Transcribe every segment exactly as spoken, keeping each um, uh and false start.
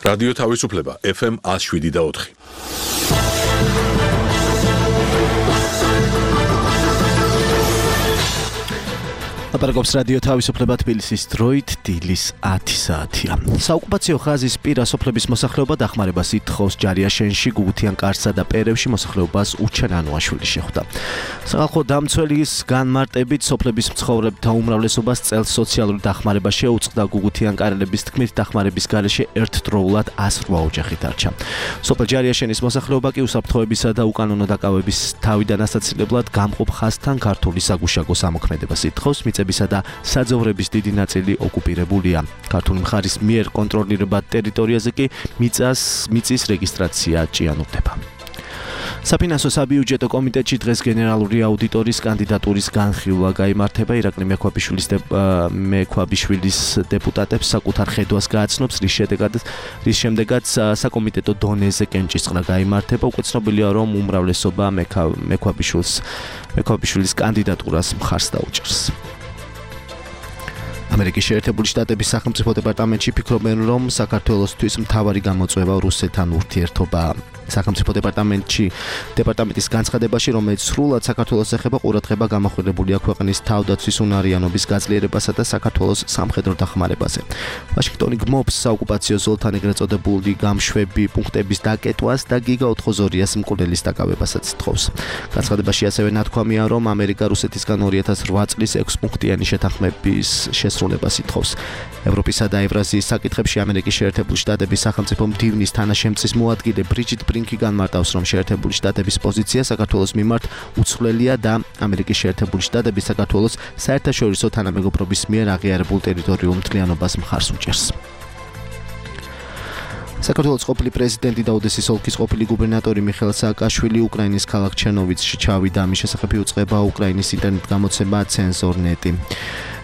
რადიო თავისუფლება ეფ ემ one oh seven და four. აპარაკობს რადიო თავისუფლება თბილისის დროით დილის ათი საათია. საოკუპაციო ხაზის პირა სოფლების მოსახლეობა დახმარებას ითხოვს ჯარიაშენში, გუგუთიან კარსა და პერევში მოსახლეობას უჩერანოაშვილი შეხვდა. სახალხო დამცველის განმარტებით სოფლების მცხოვრებთა უმრავლესობას წელს სოციალური დახმარება შეუწყდა. გუგუთიან კარელების თქმით დახმარების გარეშე ერთდროულად one oh eight ოჯახი დარჩა. სოფელ ჯარიაშენის მოსახლეობა კი უსაფრთხოებისა და უკანონო დაკავების თავიდან ასაცილებლად გამყოფ ხაზთან ქართული საგუშაგო სამოქმედებას ითხოვს. მიწებისა და საძოვრების დიდი ნაწილი ოკუპირებულია. ქართული მხარის მიერ კონტროლირებად ტერიტორიაზე კი მიწას მიწის რეგისტრაცია ჭიანურდება. საფინანსო საბიუჯეტო კომიტეტში დღეს გენერალური აუდიტორის კანდიდატურის განხილვა გაიმართება. ირაკლი მექვაბიშვილის მექვაბიშვილის დეპუტატებს საკუთარ ხედვას გააცნობს, რის შედეგად რის შემდეგაც საკომიტეტო დონეზე კენჭისყრა გაიმართება. უკვე ცნობილია, რომ უმრავლესობა მექვაბიშვილის მექვაბიშვილის კანდიდატურას მხარს დაუჭერს. ამერიკის შეერთებული შტატების სახელმწიფო დეპარტამენტში ფიქრობენ, რომ საქართველოსთვის მთავარი გამოწვევა რუსეთთან ურთიერთობაა. სახელმწიფო დეპარტამენტში დეპარტამენტის განცხადებაში, რომელიც სრულად საქართველოს ეხება, ყურადღება გამახვილებულია ქვეყნის თავდაცვის უნარიანობის გაძლიერებასა და საქართველოს სამხედრო დახმარებაზე. ვაშინგტონი გმობს საოკუპაციო ზოლთან ეგრეთ წოდებული გამშვები პუნქტების დაკეტვას და გიგა ოთხმოცდაორი მკვლელის დაკავებასაც თხოვს. განცხადებაში ასევე ნათქვამია, რომ ამერიკა რუსეთისგან ორი ათას ოთხ წლის ექვს პუნქტიანი შეთანხმების შესრულებას ითხოვს. ევროპისა და ევრაზიის საკითხებში ამერიკის შეერთებული შტატების სახელმწიფო მდივნის თანაშემწის მოადგილე ბრიჯიტ ბრინკი განმარტავს, რომ შეერთებული შტატების პოზიცია საქართველოს მიმართ უცვლელია და ამერიკის შეერთებული შტატები საქართველოს საერთაშორისო თანამეგობრობის მიერ აღიარებულ ტერიტორიულ მთლიანობას მხარს უჭერს. საქართველოს ყოფილი პრეზიდენტი და ოდესის ოლქის ყოფილი გუბერნატორი მიხეილ სააკაშვილი უკრაინის ქალაქ ჩერნოვიცში ჩავიდა. ამის შესახებ იუწყება უკრაინის ინტერნეტ გამოცემა ცენზორნეტი.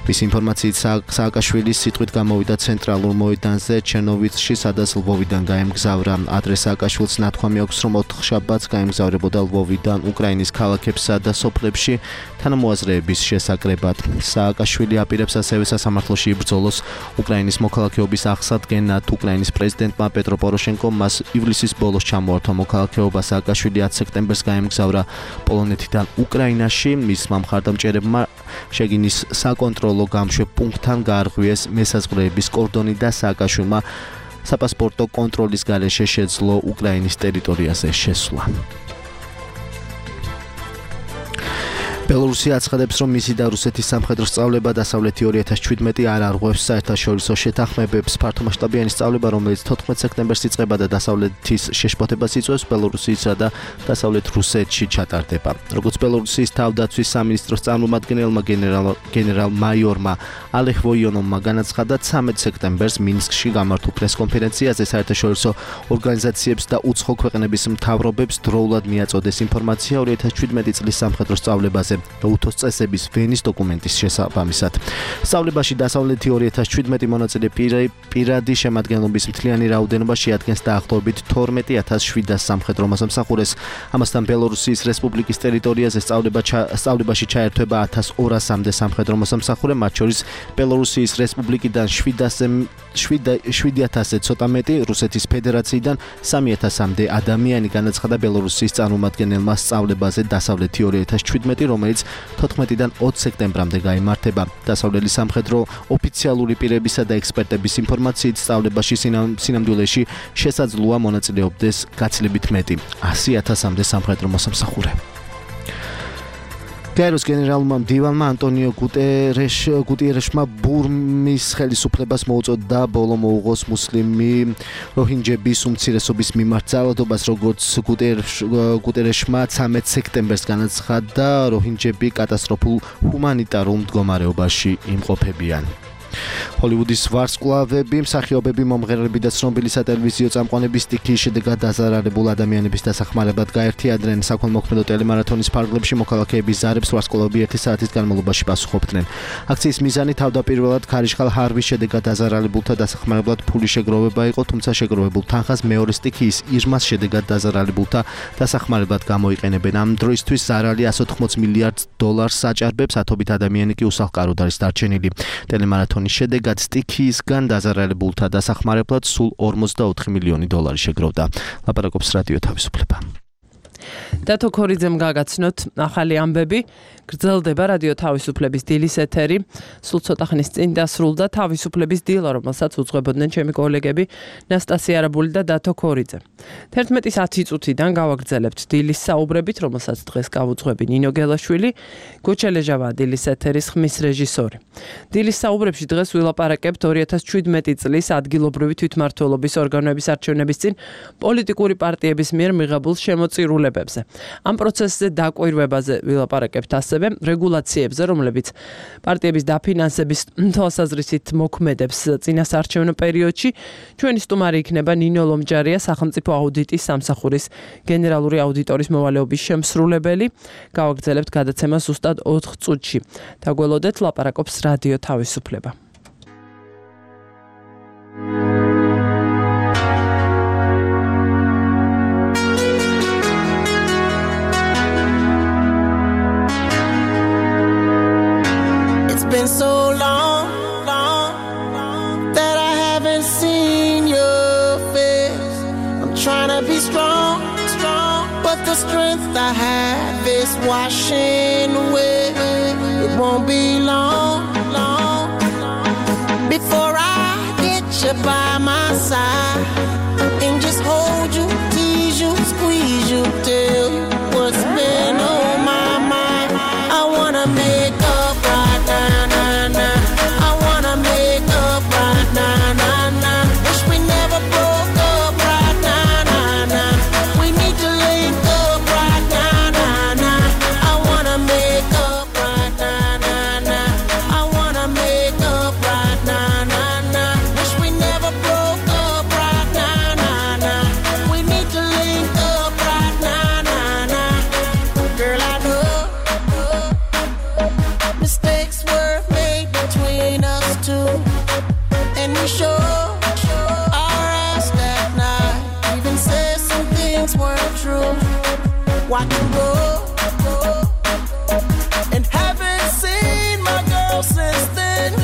მის ინფორმაციით სააკაშვილის სიტყვით გამოვიდა ცენტრალურ მოედანზე ჩერნოვიცში, სადაც ლვოვიდან გაემგზავრა. ადრეს სააკაშვილს ნათქვამი აქვს, რომ ოთხშაბათს გაემგზავრებოდა ლვოვიდან უკრაინის ქალაქებსა და სოფლებში თანამოაზრეების შესაკრებად. სააკაშვილი აპირებს ასევე სასამართლოში იბრძოლოს უკრაინის მოქალაქეობის აღსადგენად. უკრაინის პრეზიდენტმა პეტრო პოროშენკომ მას ივლისის ბოლოს ჩამოართვა მოქალაქეობა. სააკაშვილი ათი სექტემბერს გაემგზავრა პოლონეთიდან უკრაინაში. მისმა მხარდამჭერებმა შეგინის საკონტროლო გამშვებ პუნქტთან გაარღვიეს მესაზღვრეების კორდონი და სააკაშვილმა საპასპორტო კონტროლის გარეშე შეძლო უკრაინის ტერიტორიაზე შესვლა. ბელორუსია აცხადებს, რომ მისი და რუსეთის სამხედრო სწავლება დასავლეთი ორი ათას შვიდმეტი არ არღვევს საერთაშორისო შეთანხმებებს. ფართომასშტაბიანი სწავლება, რომელიც თოთხმეტ სექტემბერს იწყება და დასავლეთის შეშფოთებას იწვევს, ბელორუსიისა და დასავლეთ რუსეთში ჩატარდება. როგორც ბელორუსიის თავდაცვის სამინისტროს წარმომადგენელმა გენერალ-მაიორმა ალეხ ვოიონოვმა განაცხადა, ცამეტ სექტემბერს მინსკში გამართულ პრესკონფერენციაზე საერთაშორისო ორგანიზაციებს და უცხო ქვეყნების მთავრობებს დროულად მიაწოდეს ინფორმაცია ორი ათას შვიდმეტი წლის სამხედრო სწავლებაზე და უთოს წესების ვენის დოკუმენტის შესაბამისად. სწავლებაში დასავლეთი ორი ათას შვიდმეტი მონაწილე პირადი შემადგენლობის მთლიანი რაოდენობა შეადგენს დაახლოებით თორმეტი ათას შვიდას სამხედრო მოსამსახურეს. ამასთან ბელორუსიის რესპუბლიკის ტერიტორიაზე სწავლებაში ჩაერთვება ათას ორასამდე სამხედრო მოსამსახურე, მათ შორის ბელორუსიის რესპუბლიკიდან შვიდი ათასზე ცოტა მეტი, რუსეთის ფედერაციიდან სამი ათასამდე ადამიანი. განაცხადა ბელორუსიის წარმომადგენელმა სწავლებაზე დასავლეთი ორი ათას შვიდმეტი, რომელიც თოთხმეტიდან ოცი სექტემბრამდე გაიმართება. დასავლელი სამხედრო ოფიციალური პირებისა და ექსპერტების ინფორმაციით სწავლებაში სინამდვილეში შესაძლოა მონაწილეობდეს გაცილებით მეტი, ასი ათასამდე სამხედრო მოსამსახურე. კაიროს გენერალურმა მდივანმა ანტონიო გუტიერეშმა ბურმის ხელისუფლებას მოუწოდა ბოლო მოუღოს მუსლიმი როჰინჯების უმცირესობის მიმართ ძალადობას, როგორც გუტიერეშმა ცამეტ სექტემბერს განაცხადა, როჰინჯები კატასტროფულ ჰუმანიტარულ მდგომარეობაში იმყოფებიან. ჰოლივუდის ვარსკვლავები, მსახიობები, მომღერლები და ცნობილი სატელევიზიო წამყვანები სტიქიის შედეგად დაზარალებულ ადამიანების დასახმარებლად გაერთიანდნენ. საქველმოქმედო ტელემარათონის ფარგლებში მოქალაქეების ზარებს ვარსკვლავები ერთი საათის განმავლობაში პასუხობდნენ. აქციის მიზანი თავდაპირველად ქარიშხალ ჰარვის შედეგად დაზარალებულთა დასახმარებლად ფული შეგროვება იყო, თუმცა შეგროვებულ თანხას მეორე სტიქიის ირმას შედეგად დაზარალებულთა დასახმარებლად გამოიყენებენ. ამ დროისთვის ზარალი εκατს ოთხმოცი მილიარდ დოლარს საჭარბებს, ათობით ადამიანი კი უსახლკაროდ არის დარჩენილი. ტელემარათონის შედეგად კარგად სტიქიისგან დაზარალებულთა დასახმარებლად სულ ორმოცდაოთხი მილიონი დოლარი შეგროვდა. ლაპარაკობს რადიო თავისუფლება. დათო ქორიძემ გაგაცნოთ ახალი ამბები. გრძელდება რადიო თავისუფლების დილის ეთერი. სულ ცოტა ხნის წინ დასრულდა თავისუფლების დილა, რომელსაც უძღვებოდნენ ჩემი კოლეგები ნასტასია არაბული და დათო ქორიძე. თერთმეტის ათი წუთიდან გავაგრძელებთ დილის საუბრებით, რომელსაც დღეს გავუძღვები ნინო გელაშვილი, გოჩელეჟავა დილის ეთერის ხმის რეჟისორი. დილის საუბრებში დღეს ვილაპარაკებთ ორი ათას შვიდმეტი წლის ადგილობრივი თვითმმართველობის ორგანოების არჩევნების წინ პოლიტიკური პარტიების მიერ მიღებულ შემოწირულებებზე. ამ პროცესზე დაკვირვებაზე ვილაპარაკებთ ასევე რეგულაციებზე, რომლებიც პარტიების დაფინანსების თვალსაზრისით მოქმედებს წინასაარჩევნო პერიოდში. ჩვენი სტუმარი იქნება ნინო ლომჯარია, სახელმწიფო აუდიტის სამსახურის გენერალური აუდიტორის მოვალეობის შემსრულებელი. გავაგრძელებთ გადაცემა ზუსტად ოთხ წუთში. დაგველოდეთ, ლაპარაკობს რადიო თავისუფლება. Been so long, long, that I haven't seen your face. I'm trying to be strong, strong, but the strength I have is washing away. It won't be long, long, before I get you by my side and just hold you, tease you, squeeze you, tell you what's been on my mind. I wanna make up right now. Watch you go, and haven't seen my girl since then.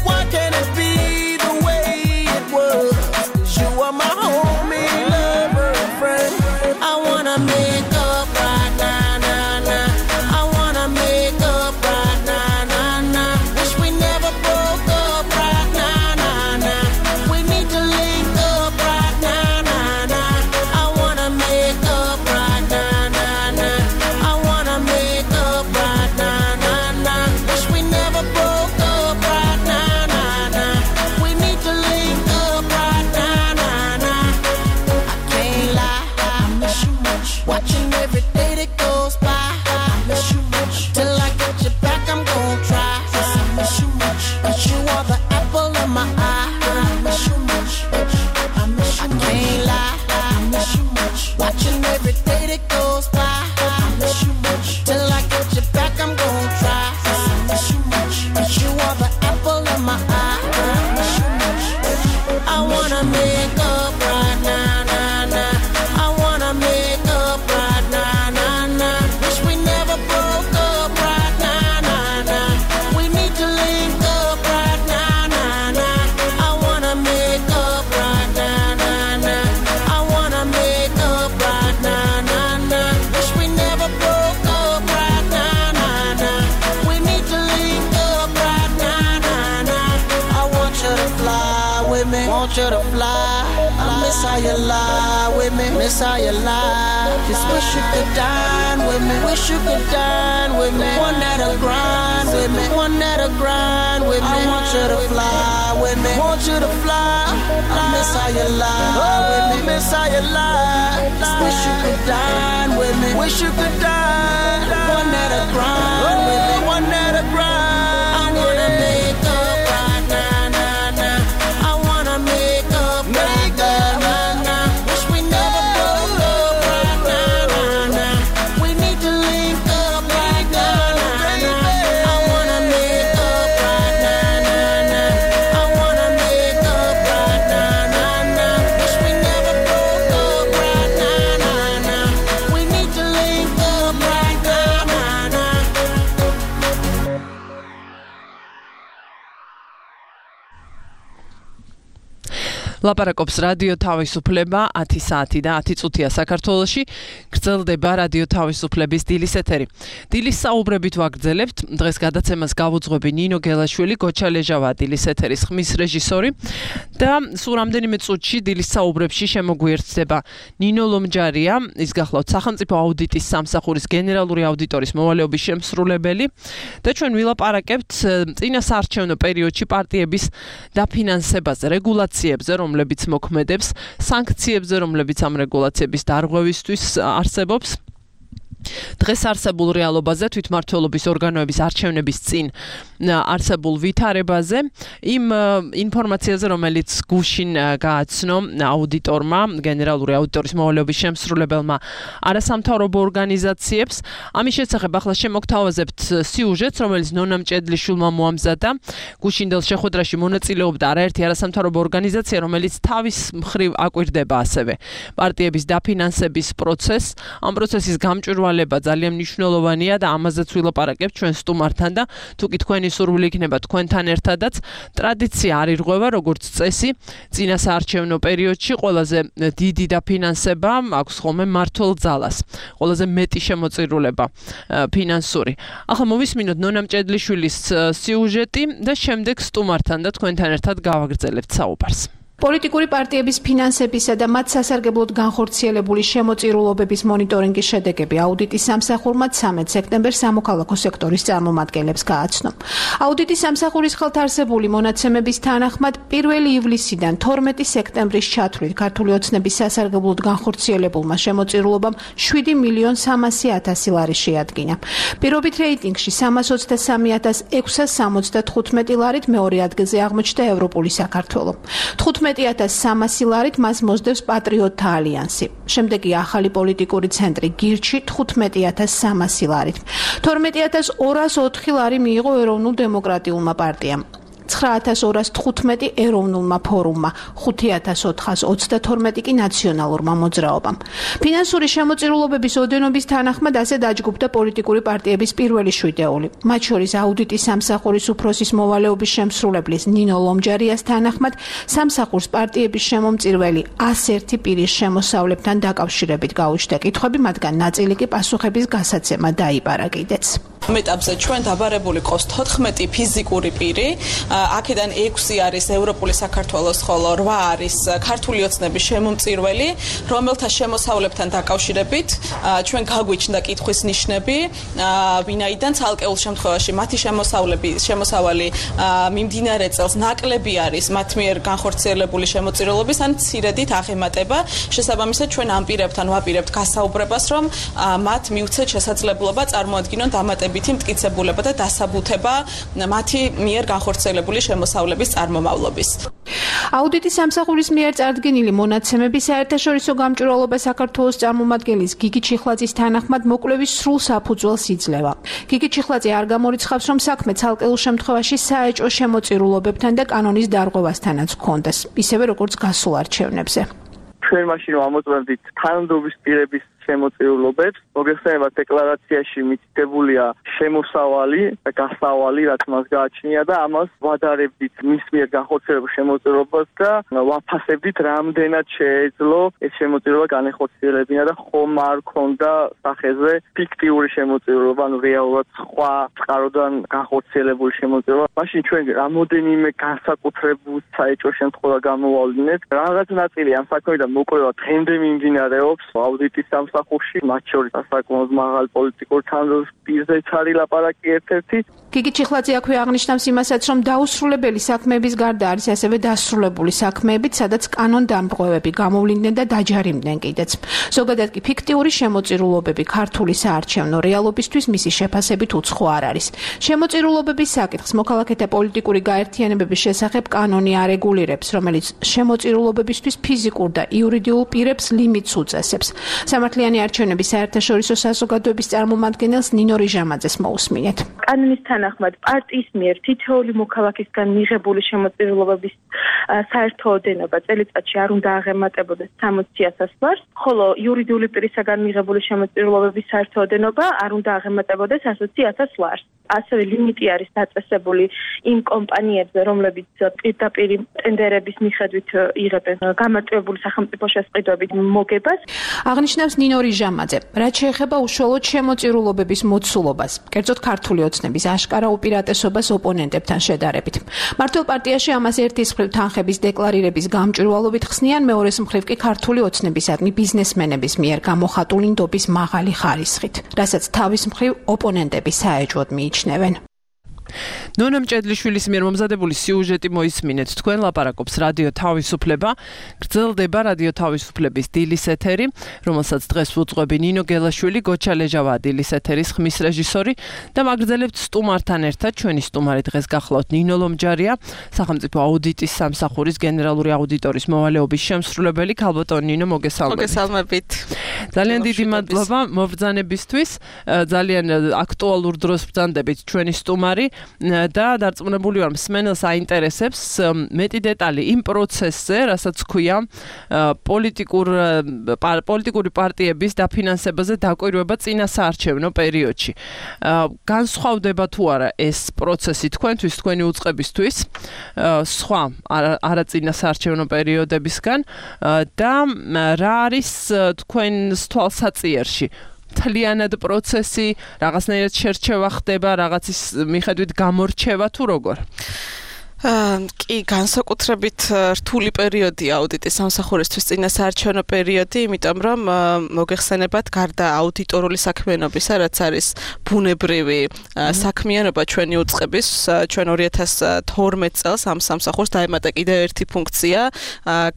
Why can't it be the way it was? 'Cause you are my homie, lover, and friend. I wanna make up right now, nah, nah. I wanna make up right now, nah, nah. Wish we never broke up right now, nah, nah. We need to link up right now, nah, nah. I wanna make up right now. Want you to fly. I miss how you lie with me. Miss how you lie. Just wish you could dine with me. Wish you could dine with me. One that'll grind with me. One that'll grind with me. I want you to fly with me. Want you to fly. I miss how you lie with me. Miss how you lie. Just wish you could dine with me. Wish you could dine. One that'll grind with me. One that'll grind. I wanna make up right now, nah, nah. I wanna make up right now, nah, nah. Wish we never broke up right now, nah, nah. We need to link up right now, nah, nah. I wanna make up right now, nah, nah. I wanna make up right now, nah, nah. Wish we never broke up right now, nah, nah. We need to link up right now, nah, nah. ლაპარაკობს რადიო თავისუფლება ათი საათი და ათი წუთია საქართველოში. გრძელდება რადიო თავისუფლების დილის ეთერი. დილის საუბრებით ვაგრძელებთ. დღეს გადაცემას გავუძღვები ნინო გელაშვილი, გოჩა ლეჟავა დილის ეთერის ხმის რეჟისორი და სულ რამდენიმე წუთში დილის საუბრებში შემოგვიერთდება ნინო ლომჯარია, ის გახლავთ სახელმწიფო აუდიტის სამსახურის გენერალური აუდიტორის მოვალეობის შემსრულებელი და ჩვენ ვილაპარაკებთ წინასაარჩევნო პერიოდში პარტიების დაფინანსებაზე, რეგულაციებზე, რომლებიც მოქმედებს, სანქციებზე, რომლებიც ამ რეგულაციების დარღვევისთვის არსებობს. დღეს არსებულ რეალობაზე, თვითმმართველობის ორგანოების არჩევნების წინ არსებულ ვითარებაზე, იმ ინფორმაციაზე, რომელიც გუშინ გააცნო აუდიტორმა, გენერალური აუდიტორის მოვალეობის შემსრულებელმა არასამთავრობო ორგანიზაციებს. ამის შესახებ ახლა შემოგთავაზებთ სიუჟეტს, რომელიც ნონა მჭედლიშვილმა მოამზადა. გუშინდელ შეხვედრაში მონაწილეობდა არაერთი არასამთავრობო ორგანიზაცია, რომელიც თავის მხრივ აკვირდება ასევე პარტიების დაფინანსების პროცესს. ამ პროცესის გამჭვირვალება ძალიან მნიშვნელოვანია და ამაზეც ვილაპარაკებთ ჩვენ სტუმართან და თუკი თქვენი სურვილი იქნება თქვენთან ერთადაც, ტრადიცია არ ირღვევა, როგორც წესი, წინასაარჩევნო პერიოდში ყველაზე დიდი დაფინანსება აქვს ხოლმე მმართველ ძალას, ყველაზე მეტი შემოწირულება ფინანსური. ახლა მოვისმინოთ ნონა მჭედლიშვილის სიუჟეტი და შემდეგ სტუმართან და თქვენთან ერთად გავაგრძელებთ საუბარს. პოლიტიკური პარტიების ფინანსებისა და მათ სასარგებლოდ განხორციელებული შემოწირულობების მონიტორინგის შედეგები აუდიტის სამსახურმა ცამეტ სექტემბერს სამოქალაქო სექტორის წარმომადგენლებს გააცნო. აუდიტის სამსახურის ხელთ არსებული მონაცემების თანახმად პირველი ივლისიდან თორმეტი სექტემბრის ჩათვლით ქართული ოცნების სასარგებლოდ განხორციელებულმა შემოწირულობამ შვიდი მილიონი სამასი ათასი ლარი შეადგინა. პირობით რეიტინგში სამას ოცდასამი ათას ექვსას სამოცდათხუთმეტი ლარით მეორე ადგილზე აღმოჩნდა ევროპული საქართველო. თხუთმეტი ათას სამასი ლარით მას მოსდევს პატრიოტთა ალიანსი. შემდეგი ახალი პოლიტიკური ცენტრი გირჩი თხუთმეტი ათას სამასი ლარით. თორმეტი ათას ორას ოთხი ლარი მიიღო ეროვნულ დემოკრატიულმა პარტიამ. ცხრა ათას ორას თხუთმეტი ეროვნულმა ფორუმმა, ხუთი ათას ოთხას ოცდათორმეტი კი ნაციონალურმა მოძრაობამ. ფინანსური შემოწირულობების ოდენობის თანახმად ასე დაჯგუფდა პოლიტიკური პარტიების პირველი შვიდეული. მათ შორის აუდიტის სამსახურის უფროსის მოვალეობის შემსრულებლის ნინო ლომჯარიას თანახმად სამსახურს პარტიების შემომწირველი ას ერთი პირის შემოსავლებთან დაკავშირებით გაუჩნდა კითხვები, მათგან ნაწილი კი პასუხების გასაცემა დაიბარა კიდეც. მეტაპზე ჩვენ დაბარებული ყავს თოთხმეტი ფიზიკური პირი, აქედან ექვსი არის ევროპული საქართველოს, ხოლო რვა არის ქართული ოცნების შემომწირველი, რომელთა შემოსავლებთან დაკავშირებით ჩვენ გაგვიჩნდა კითხვის ნიშნები, ვინაიდან ცალკეულ შემთხვევაში მათი შემოსავლები, შემოსავალი მიმდინარე წელს ნაკლები არის მათ მიერ განხორციელებული შემოწირულობის ან მცირედით აღემატება. შესაბამისად ჩვენ ამ პირებთან ვაპირებთ გასაუბრებას, რომ მათ მიუცეთ შესაძლებლობა წარმოადგინონ დამატებითი მტკიცებულება და დასაბუთება მათი მიერ განხორციელებული შემოსავლების წარმომავლობის. აუდიტის სამსახურის მიერ წარდგენილი მონაცემები საერთაშორისო გამჭვირვალობა საქართველოს წარმომადგენლის გიგი ჩიხლაძის თანახმად მოკვლევის სრულ საფუძველს იძლევა. გიგი ჩიხლაძე არ გამორიცხავს, რომ საქმე ცალკეულ შემთხვევაში საეჭვო შემოწირულობებთან და კანონის დარღვევასთანაც ჰქონდეს, ისევე როგორც გასულ არჩევნებზე. ჩვენ მაშინ ამოწმებდით თანამდებობის პირების შემოწირულობებს, მოგეხსენებათ დეკლარაციაში მითითებულია შემოსავალი და გასავალი, რაც მას გააჩნია და ამას ვადარებდით მის მიერ განხორციელებულ შემოწირულობას და ვაფასებდით, რამდენად შეეძლო ეს შემოწირულობა განეხორციელებინა და ხომ არ ქონდა სახეზე ფიქტიური შემოწირულობა, ანუ რეალურად სხვა წყაროდან განხორციელებული შემოწირულობა. მაშინ ჩვენ რამოდენიმე განსაკუთრებულ საეჭვო შემთხვევა გამოვავლინეთ. რაღაც ნაწილი ამ საქმედან მოკვლევა დღემდე მიმდინარეობს აუდიტის სამსახურში, მათ შორის საკმაოდ მაღალ პოლიტიკურ თანამდებობის პირზეც არის ლაპარაკი ერთ-ერთი. გიგი ჩიხლაძე აქვე აღნიშნავს იმასაც, რომ დაუსრულებელი საქმეების გარდა არის ასევე დასრულებული საქმეებიც, სადაც კანონდამტყვევები გამოვლინდნენ და დაჯარიმდნენ კიდეც. ზოგადად კი ფიქტიური შემოწირულობები ქართული საარჩევნო რეალობისთვის მისი შეფასებით უცხო არ არის. შემოწირულობების საკითხს მოქალაქეთა პოლიტიკური გაერთიანებების შესახებ კანონი არეგულირებს, რომელიც შემოწირულობებისთვის ფიზიკურ და იურიდიულ პირებს ლიმიტს უწესებს. სამართლიანი თვალიანი არჩევნების საერთაშორისო საზოგადოების წარმომადგენელს ნინო რიჟამაძეს მოусმინეთ. კანონის თანახმად პარტიის მიერ თითოეული მოქალაქისგან მიღებული შემოწირულობების საერთო ოდენობა წელიწადში არ უნდა აღემატებოდეს სამოცი ათას ლარს, ხოლო იურიდიული პირისაგან მიღებული შემოწირულობების საერთო ოდენობა არ უნდა აღემატებოდეს ასოცი ათას ლარს. ასევე ლიმიტი არის დაწესებული იმ კომპანიებზე, რომლებიც პირდაპირ ტენდერების მიხედვით იღებენ გამარტივებული სახელმწიფო შესყიდვებით მოგებას. აღნიშნავს ნინო რიჟამაძე, რაც შეეხება უშუალოდ შემოწირულობების მოცულობას, კერძოდ ქართული ოცნების აშკარა უპირატესობას ოპონენტებთან შედარებით. მართლ პარტიაში ამას ერთის მხრივ თანხების დეკლარირების გამჭვირვალობით ხსნიან, მეორეს მხრივ კი ქართული ოცნებისადმი ბიზნესმენების მიერ გამოხატული ნდობის მაღალი ხარისხით, რასაც თავის მხრივ ოპონენტები საეჭვოდ მიიჩნევენ. ნონა მჭედლიშვილის მიერ მომზადებული სიუჟეტი მოისმინეთ. თქვენ ლაპარაკობს რადიო თავისუფლება. გრძელდება რადიო თავისუფლების დილის ეთერი, რომელსაც დღეს უძღვები ნინო გელაშვილი, გოჩა ლეჟავა დილის ეთერის ხმის რეჟისორი და მაგრძელებთ სტუმართან ერთად. ჩვენი სტუმარი დღეს გახლავთ ნინო ლომჯარია, სახელმწიფო აუდიტის სამსახურის გენერალური აუდიტორის მოვალეობის შემსრულებელი. ქალბატონ ნინო, მოგესალმებით. მოგესალმებით. ძალიან დიდი მადლობა მობრძანებისთვის. ძალიან აქტუალურ დროს ბრძანდებით ჩვენი სტუმარი. და დარწმუნებული ვარ მსმენელს აინტერესებს მეტი დეტალი იმ პროცესზე, რასაც ქვია პოლიტიკურ პოლიტიკური პარტიების დაფინანსებაზე დაკვირვება წინა საარჩევნო პერიოდში. განსხვავდება თუ არა ეს პროცესი თქვენთვის, თქვენი უწყებისთვის, სხვა არაწინა საარჩევნო პერიოდებისგან და რა არის თქვენს თვალსაწიერში? თლიანად პროცესი, რაღაცნაირად შერჩევა ხდება, რაღაცის მიხედვით გამორჩევა თუ როგორ? კი, განსაკუთრებით რთული პერიოდია აუდიტის სამსახურისთვის წინა საარჩევნო პერიოდი, იმიტომ რომ მოგეხსენებათ გარდა აუდიტორული საქმიანობისა, რაც არის ბუნებრივი საქმიანობა ჩვენი უწყების, ჩვენ ორი ათას თორმეტ წელს ამ სამსახურს დაემატა კიდევ ერთი ფუნქცია,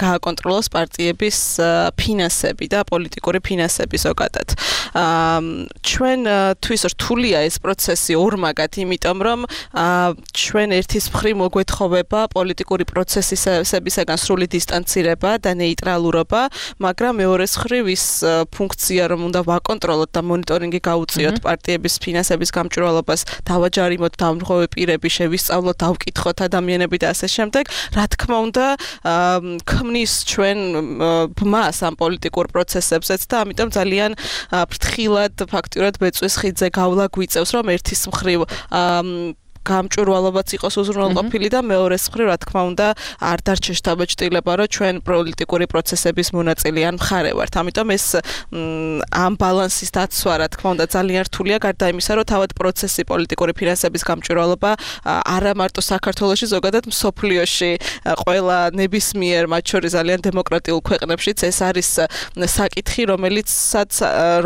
გააკონტროლოს პარტიების ფინანსები და პოლიტიკური ფინანსები ზოგადად. ჩვენთვის რთულია ეს პროცესი ორმაგად, იმიტომ რომ ჩვენ ერთის მხრივ მოგვეთხ ხოვება პოლიტიკური პროცესისებისაგან სრული დისტანცირება და ნეიტრალურობა, მაგრამ მეორეს მხრივ ის ფუნქცია, რომ უნდა ვაკონტროლოთ და მონიტორინგი გავუწიოთ პარტიების ფინანსების გამჭვირვალობას, დავაჯარიმოთ დამრღვევი პირები, შევისწავლოთ, დავკითხოთ ადამიანები და ასე შემდეგ, რა თქმა უნდა, ქმნის ჩვენ ბმას ამ პოლიტიკურ პროცესებზეც და ამიტომ ძალიან ფრთხილად ფაქტურად ბეწვის ხიდზე გავლა გვიწევს, რომ ერთის მხრივ გამჭვირვალობაც იყოს უზრუნველყოფილი და მეორეს მხრივ, რა თქმა უნდა, არ დარჩეს შთაბეჭდილება, რომ ჩვენ პოლიტიკური პროცესების მონაწილე ან მხარე ვართ. ამიტომ ეს ამ ბალანსის დაცვა, რა თქმა უნდა, ძალიან რთულია, გარდა იმისა, რომ თავად პროცესი პოლიტიკური ფინანსების გამჭვირვალობა არა მარტო საქართველოში, ზოგადად მსოფლიოში, ყველა ნებისმიერ, მათ შორის ძალიან დემოკრატიულ ქვეყნებშიც ეს არის საკითხი, რომელიცაც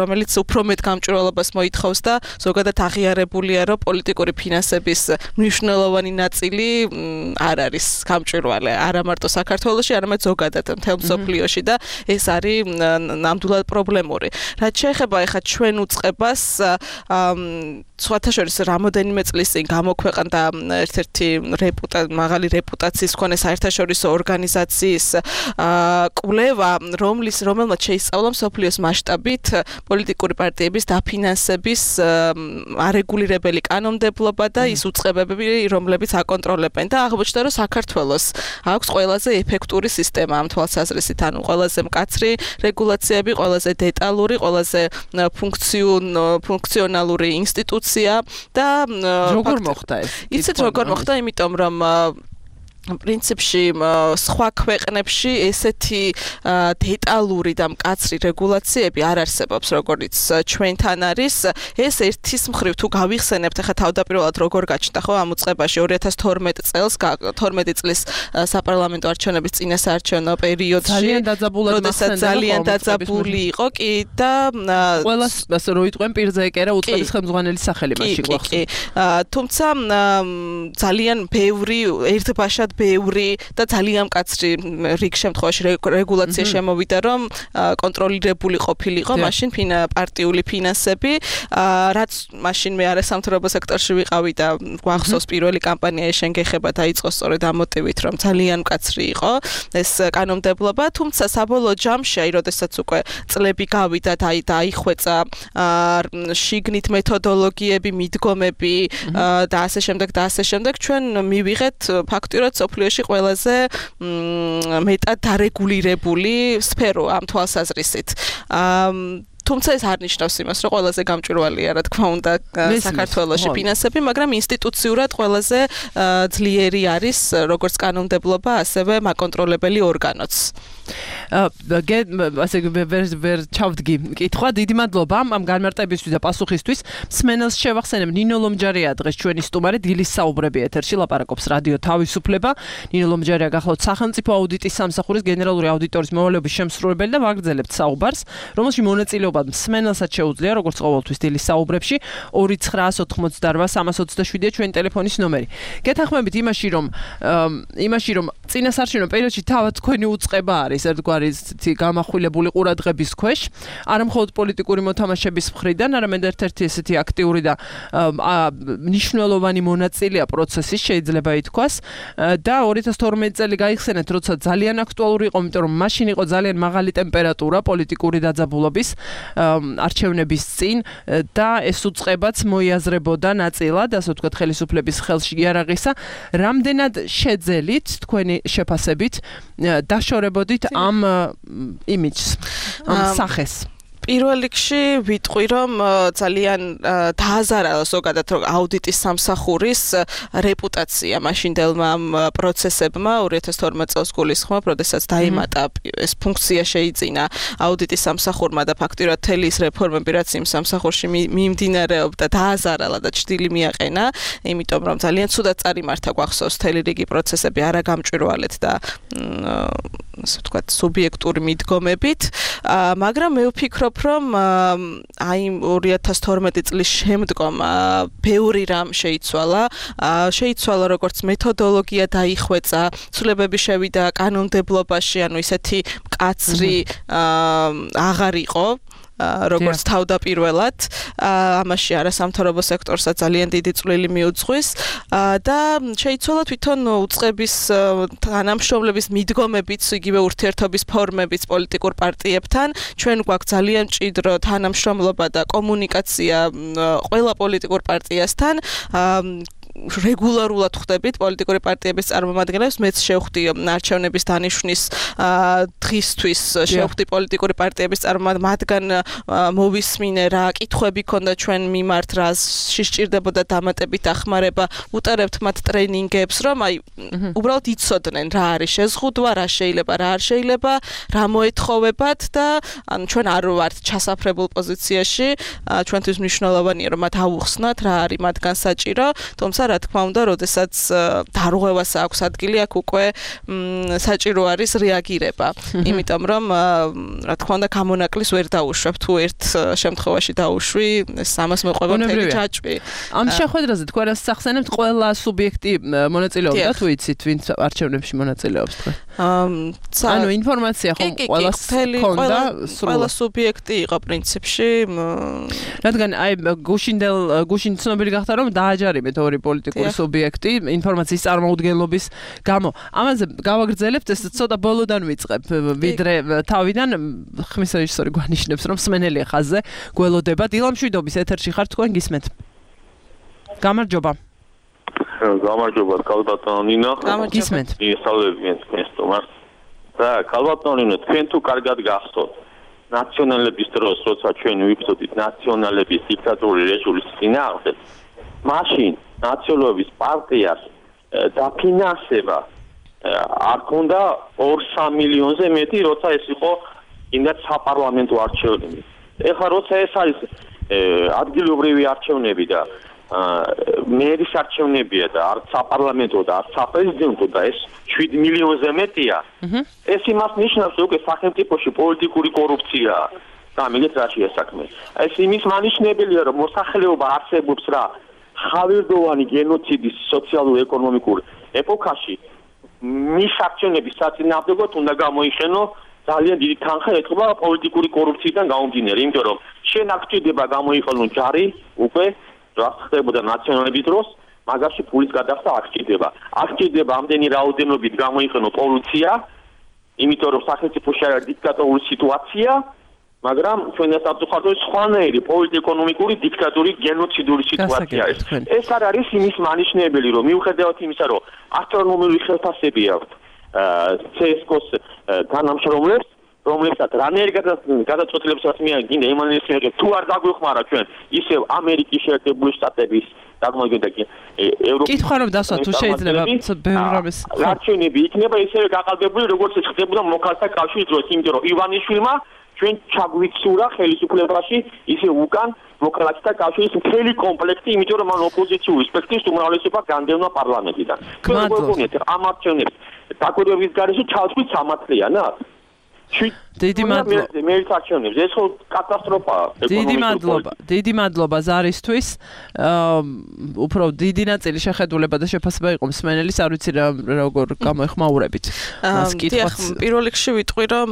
რომელიც უფრო მეტ გამჭვირვალობას მოითხოვს და ზოგადად აღიარებულია, რომ პოლიტიკური ფინანსების მნიშვნელოვანი ნაწილი არ არის გამჭვირვალე, არა მარტო საქართველოში, არამედ ზოგადად მთელ მსოფლიოში და ეს არის ნამდვილად პრობლემური. რაც შეეხება ახლა ჩვენ უწყებას, სხვათა შორის რამოდენიმე წლის წინ გამოქვეყნდა ერთ-ერთი მაღალი რეპუტაციის მქონე საერთაშორისო ორგანიზაციის კვლევა, რომლის რომელმაც შეისწავლა მსოფლიოს მასშტაბით პოლიტიკური პარტიების დაფინანსების არეგულირებელი კანონმდებლობა და ის უწყებები, რომლებიც აკონტროლებენ და აღმოჩნდა, რომ საქართველოს აქვს ყველაზე ეფექტური სისტემა ამ თვალსაზრისით, ანუ ყველაზე მკაცრი რეგულაციები, ყველაზე დეტალური, ყველაზე ფუნქციონალური ინსტიტუცია და როგორ მოხდა ეს? იცით როგორ მოხდა, იმიტომ რომ პრინციპში სხვა ქვეყნებში ესეთი დეტალური და მკაცრი რეგულაციები არ არსებობს, როგორც ჩვენთან არის. ეს ერთის მხრივ თუ გავიხსენებთ, ახლა თავდაპირველად როგორ გაჩნდა ხო ამ უწყებაში ორი ათას თორმეტ წელს, თორმეტი წლის საპარლამენტო არჩევნების წინა საარჩევნო პერიოდში, ძალიან დაძაბულად როდესაც ძალიან დაძაბული იყო კი და ყველას ასე რო იტყვენ პირზე ეკერა უწყების ხელმძღვანელის სახელი მასში გვახსოვს. თუმცა ძალიან ბევრი ერთბაშად ბევრი და ძალიან მკაცრი რიგ შემთხვევაში რეგულაცია შემოვიდა, რომ კონტროლირებული ყოფილიყო მაშინ პარტიული ფინანსები, რაც მაშინ მე არასამთავრობო სექტორში ვიყავი და გვახსოვს პირველი კამპანია ეშენგეხება დაიწყო სწორედ ამ მოტივით, რომ ძალიან მკაცრი იყო ეს კანონმდებლობა, თუმცა საბოლოო ჯამში, აი როდესაც უკვე წლები გავიდა და დაიხვეწა შიგნით მეთოდოლოგიები, მიდგომები და ასე შემდეგ და ასე შემდეგ, ჩვენ მივიღეთ ფაქტურად სოფლიოში ყველაზე მეტად დარეგულირებული სფერო ამ თვალსაზრისით. თუმცა ეს არ ნიშნავს იმას, რომ ყველაზე გამჭვირვალეა, რა თქმა უნდა, საქართველოში ფინანსები, მაგრამ ინსტიტუციურად ყველაზე ძლიერი არის როგორც კანონმდებლობა, ასევე მაკონტროლებელი ორგანოც. ასე ვერ ჩავდგი კითხვა, დიდი მადლობა ამ განმარტებისთვის და პასუხისთვის. მსმენელს შევახსენებ, ნინო ლომჯარია დღეს ჩვენი სტუმარი, დილის საუბრები ეთერში ლაპარაკობს რადიო თავისუფლება. ნინო ლომჯარია გახლავთ სახელმწიფო აუდიტის სამსახურის გენერალური აუდიტორის მოვალეობის შემსრულებელი და ვაგრძელებთ საუბარს, რომელში მონაწილეობა მსმენელსაც შეუძლია, როგორც ყოველთვის დილის საუბრებში, ორი ცხრაას ოთხმოცდაოთხ სამას ოცდაშვიდია ჩვენი ტელეფონის ნომერი. გეთანხმებით იმაში, რომ იმაში, რომ წინასარჩენო პერიოდში თავად თქვენი უწყება არის ერთგვარი გამახვილებული ყურადღების ქვეშ, არა მხოლოდ პოლიტიკური მოთამაშეების მხრიდან, არამედ ერთ-ერთი ესეთი აქტიური და მნიშვნელოვანი მონაწილეა პროცესის, შეიძლება ითქვას, და ორი ათას თორმეტი წელი გაიხსენეთ, როცა ძალიან აქტუალური იყო, იმიტომ რომ მაშინ იყო ძალიან მაღალი ტემპერატურა პოლიტიკური დაძაბულობის არჩევნების წინ და ეს უწყებაც მოიაზრებოდა ნაწილად, ასე ვთქვათ, ხელისუფლების ხელში იარაღისა. რამდენად შეძელით თქვენი შეფასებით დაშორებოდით ამ იმიჯს, ამ სახეს? პირველ რიგში ვიტყვი, რომ ძალიან დააზარალა ზოგადად აუდიტის სამსახურის რეპუტაცია მაშინდელმა პროცესებმა ორი ათას თორმეტ წელს გულისხმობ, როდესაც დაიმატა ეს ფუნქცია შეიძინა აუდიტის სამსახურმა და ფაქტურად მთელი ის რეფორმები, რაც იმ სამსახურში მიმდინარეობდა, დააზარალა და ჭრილი მიაყენა, იმიტომ რომ ძალიან ცუდად წარიმართა გვახსოვს მთელი რიგი პროცესები არაგამჭვირვალედ და ასე ვთქვათ, სუბიექტური მიდგომებით, მაგრამ მე ვფიქრობ, რომ აი ორი ათას თორმეტი წლის შემდგომ ბევრი რამ შეიცვალა, შეიცვალა როგორც მეთოდოლოგია დაიხვეწა, ცვლილებები შევიდა კანონმდებლობაში, ანუ ისეთი მკაცრი აღარ იყო როგორც თავდაპირველად, ამაში არასამთავრობო სექტორსაც ძალიან დიდი წვლილი მიუძღვის და შეიცვალა თვითონ უწყების თანამშრომლების მიდგომებიც, იგივე ურთიერთობის ფორმებიც პოლიტიკურ პარტიებთან. ჩვენ გვაქვს ძალიან მჭიდრო თანამშრომლობა და კომუნიკაცია ყველა პოლიტიკურ პარტიასთან. რეგულარულად ხვდებით პოლიტიკური პარტიების წარმომადგენლებს, მეც შევხვდი არჩევნების დანიშვნის დღისთვის, შევხვდი პოლიტიკური პარტიების წარმომადგენლებს, მოვისმინე რა კითხვები ქონდა ჩვენ მიმართ, რა სჭირდებოდა დამატებით დახმარება, უტარებთ მათ ტრენინგებს, რომ აი უბრალოდ იცოდნენ რა არის შეზღუდვა, რა შეიძლება, რა არ შეიძლება, რა მოეთხოვებათ და ანუ ჩვენ არ ვართ ჩასაფრებულ პოზიციაში, ჩვენთვის მნიშვნელოვანია რომ მათ აუხსნათ რა არის მათგან საჭირო, თუმცა რა თქმა უნდა, როდესაც დარღვევას აქვს ადგილი, აქ უკვე საჭირო არის რეაგირება. იმიტომ რომ რა თქმა უნდა, გამონაკლის ვერ დაუშვებ, თუ ერთ შემთხვევაში დაუშვი, სამას მოყვება მთელი ჯაჭვი. ამ შეხვედრაზე თქვენ რას ახსენებთ, ყველა სუბიექტი მონაწილეობდა, თუ იცით, ვინც არჩევნებში მონაწილეობს თქვენ? ანუ ინფორმაცია ხომ ყველას ჰქონდა, ყველა სუბიექტი იყო პრინციპში. რადგან აი გუშინდელ გუშინ ცნობილი გახდა, რომ დააჯარიმეთ ორი პოლიტიკური სუბიექტი ინფორმაციის წარმოუდგენლობის გამო. ამაზე გავაგრძელებთ, ეს ცოტა ბოლოდან ვიწყებ, ვიდრე თავიდან ხმის რეჟისორი გვანიშნებს, რომ მსმენელი ხაზზე გველოდება. დილამშვიდობის ეთერში ხართ, თქვენ გისმენთ. გამარჯობა. გამარჯობა, ქალბატონო ნინო. გისმენთ. ისწავლებიან თქვენ სტუმარს. და ქალბატონო ნინო, თქვენ თუ კარგად გახსოვთ, ნაციონალების დროს, როცა ჩვენ ვიბრძოდით ნაციონალების დიქტატურული რეჟიმის წინააღმდეგ, მაშინ ნაციონალების პარტიას დაფინანსება არ ქონდა ორ-სამ მილიონზე მეტი, როცა ეს იყო იმდაც საპარლამენტო არჩევნები. ეხლა როცა ეს არის ადგილობრივი არჩევნები და მერის არჩევნებია და არც საპარლამენტო და არც საპრეზიდენტო და ეს შვიდ მილიონზე მეტია, ეს იმას ნიშნავს, რომ სახელმწიფოში პოლიტიკური კორუფციაა. გამიგეთ რა შეა საქმე. ეს იმის მანიშნებელია, რომ მოსახლეობა არსებობს რა ხავერდოვანი გენოციდის სოციალურ-ეკონომიკურ ეპოქაში მის აქციონების საწინააღმდეგოდ უნდა გამოიხენო ძალიან დიდი თანხა ეთქობა პოლიტიკური კორუფციიდან გამომდინარე, იმიტომ რომ შენ აქ ჭირდება გამოიყენო ჯარი უკვე რაც ხდებოდა ნაციონალების დროს, მაგაში ფულის გადახდა აქ ჭირდება. აქ ჭირდება ამდენი რაოდენობით გამოიყენო პოლიცია, იმიტომ რომ სახელმწიფოში არის დიქტატორული სიტუაცია, მაგრამ ჩვენ საფრთხეს სხვანაირი პოლიტიკურ-ეკონომიკური დიქტატური გენოციდური სიტუაცია ეს. ეს არ არის იმის მანიშნებელი, რომ მიუხედავად იმისა, რომ ასტრონომიული ხელფასები აქვს ცე ეს კოს თანამშრომლებს, რომლებსაც რანაირი გადაწყვეტილებსაც მიაგინდა იმანის მიერ თუ არ დაგვეხმარა ჩვენ ისევ ამერიკის შეერთებული შტატების დაგმოგდა კი ევროპის კითხვა რომ დასვა თუ შეიძლება ბევრ რამეს არჩევნები იქნება ისევე გაყალბებული როგორც ეს ხდებოდა მოქალაქეთა კავშირის დროს, იმიტომ რომ ივანიშვილმა ჩვენ ჩაგვიცურა ხელისუფლებაში ისე უკან მოქალაქეთა კავშირის მთელი კომპლექტი, იმიტომ რომ მან ოპოზიციური სპექტრის უმრავლესობა განდევნა პარლამენტიდან. გმადლობთ ამ არჩევნებს დაკვირვების გარეშე ჩავწვით სამართლიანა. დიდი მადლობა. მე არჩევნებს ეს ხო კატასტროფაა. დიდი მადლობა. დიდი მადლობა ზარისთვის. უფრო დიდი ნაწილი შეხედულება და შეფასება იყო მსმენელის, არ ვიცი როგორ გამოეხმაურებით. მას კითხვაც. პირველ რიგში ვიტყვი რომ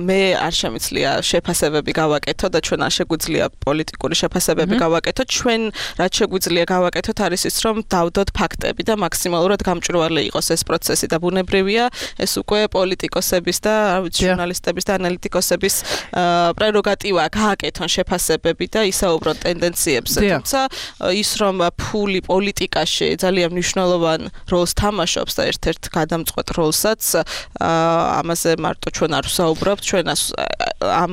მე არ შემიძლია შეფასებები გავაკეთო და ჩვენ არ შეგვიძლია პოლიტიკური შეფასებები გავაკეთოთ. ჩვენ რაც შეგვიძლია გავაკეთოთ არის ის რომ დავდოთ ფაქტები და მაქსიმალურად გამჭვირვალე იყოს ეს პროცესი და ბუნებრივია ეს უკვე პოლიტიკოსების და რა ვიცი ჟურნალისტების და ანალიტიკოსების პრეროგატივა გააკეთონ შეფასებები და ისაუბრონ ტენდენციებზე. თუმცა ის რომ ფული პოლიტიკაში ძალიან მნიშვნელოვან როლს თამაშობს და ერთ-ერთ გადამწყვეტ როლსაც ამაზე მარტო ჩვენ არ ვსაუბრობთ, ჩვენ ამ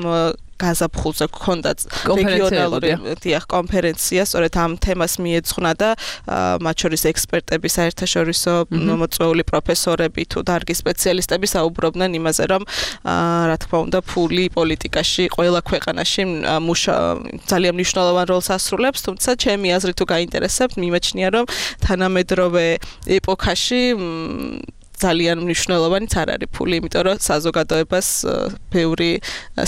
გაზაფხულზე გქონდა რეგიონალური დიახ კონფერენცია, სწორედ ამ თემას მიეძღვნა და მათ შორის ექსპერტები, საერთაშორისო მოწვეული პროფესორები თუ დარგის სპეციალისტები საუბრობდნენ იმაზე, რომ რა თქმა უნდა ფული პოლიტიკაში ყველა ქვეყანაში ძალიან მნიშვნელოვან როლს ასრულებს, თუმცა ჩემი აზრით თუ გაინტერესებთ, მიმაჩნია რომ თანამედროვე ეპოქაში ძალიან მნიშვნელოვანიც არ არის ფული, იმიტომ რომ საზოგადოებას ბევრი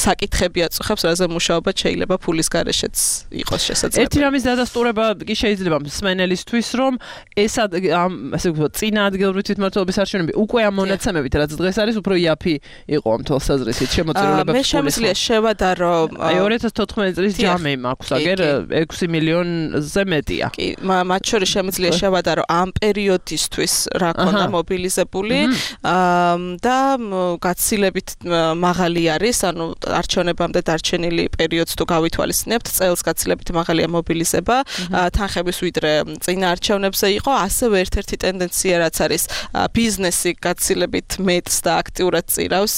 საკითხები აწუხებს, რაზე მუშაობა შეიძლება ფულის გარეშეც იყოს შესაძლებელი. ერთი რამის დადასტურება კი შეიძლება მსმენელისთვის, რომ ეს ამ ასე ვთქვათ, წინა ადგილობრივი თვითმმართველობის არჩევნები უკვე ამ მონაცემებით, რაც დღეს არის, უფრო იაფი იყო ამ თვალსაზრისით შემოწირულობებს. მე შემიძლია შევადარო აი ორი ათას თოთხმეტი წლის ჯამი მაქვს, აგერ ექვსი მილიონზე მეტია. კი, მათ შორის შემიძლია შევადარო ამ პერიოდისთვის რა ქონდა მობილიზებული და გაცილებით მაღალი არის, ანუ არჩევნებამდე დარჩენილი პერიოდს თუ გავითვალისწინებთ, წელს გაცილებით მაღალია მობილიზება, თანხების ვიდრე წინა არჩევნებზე იყო, ასევე ერთ-ერთი ტენდენცია რაც არის ბიზნესი გაცილებით მეტს და აქტიურად წირავს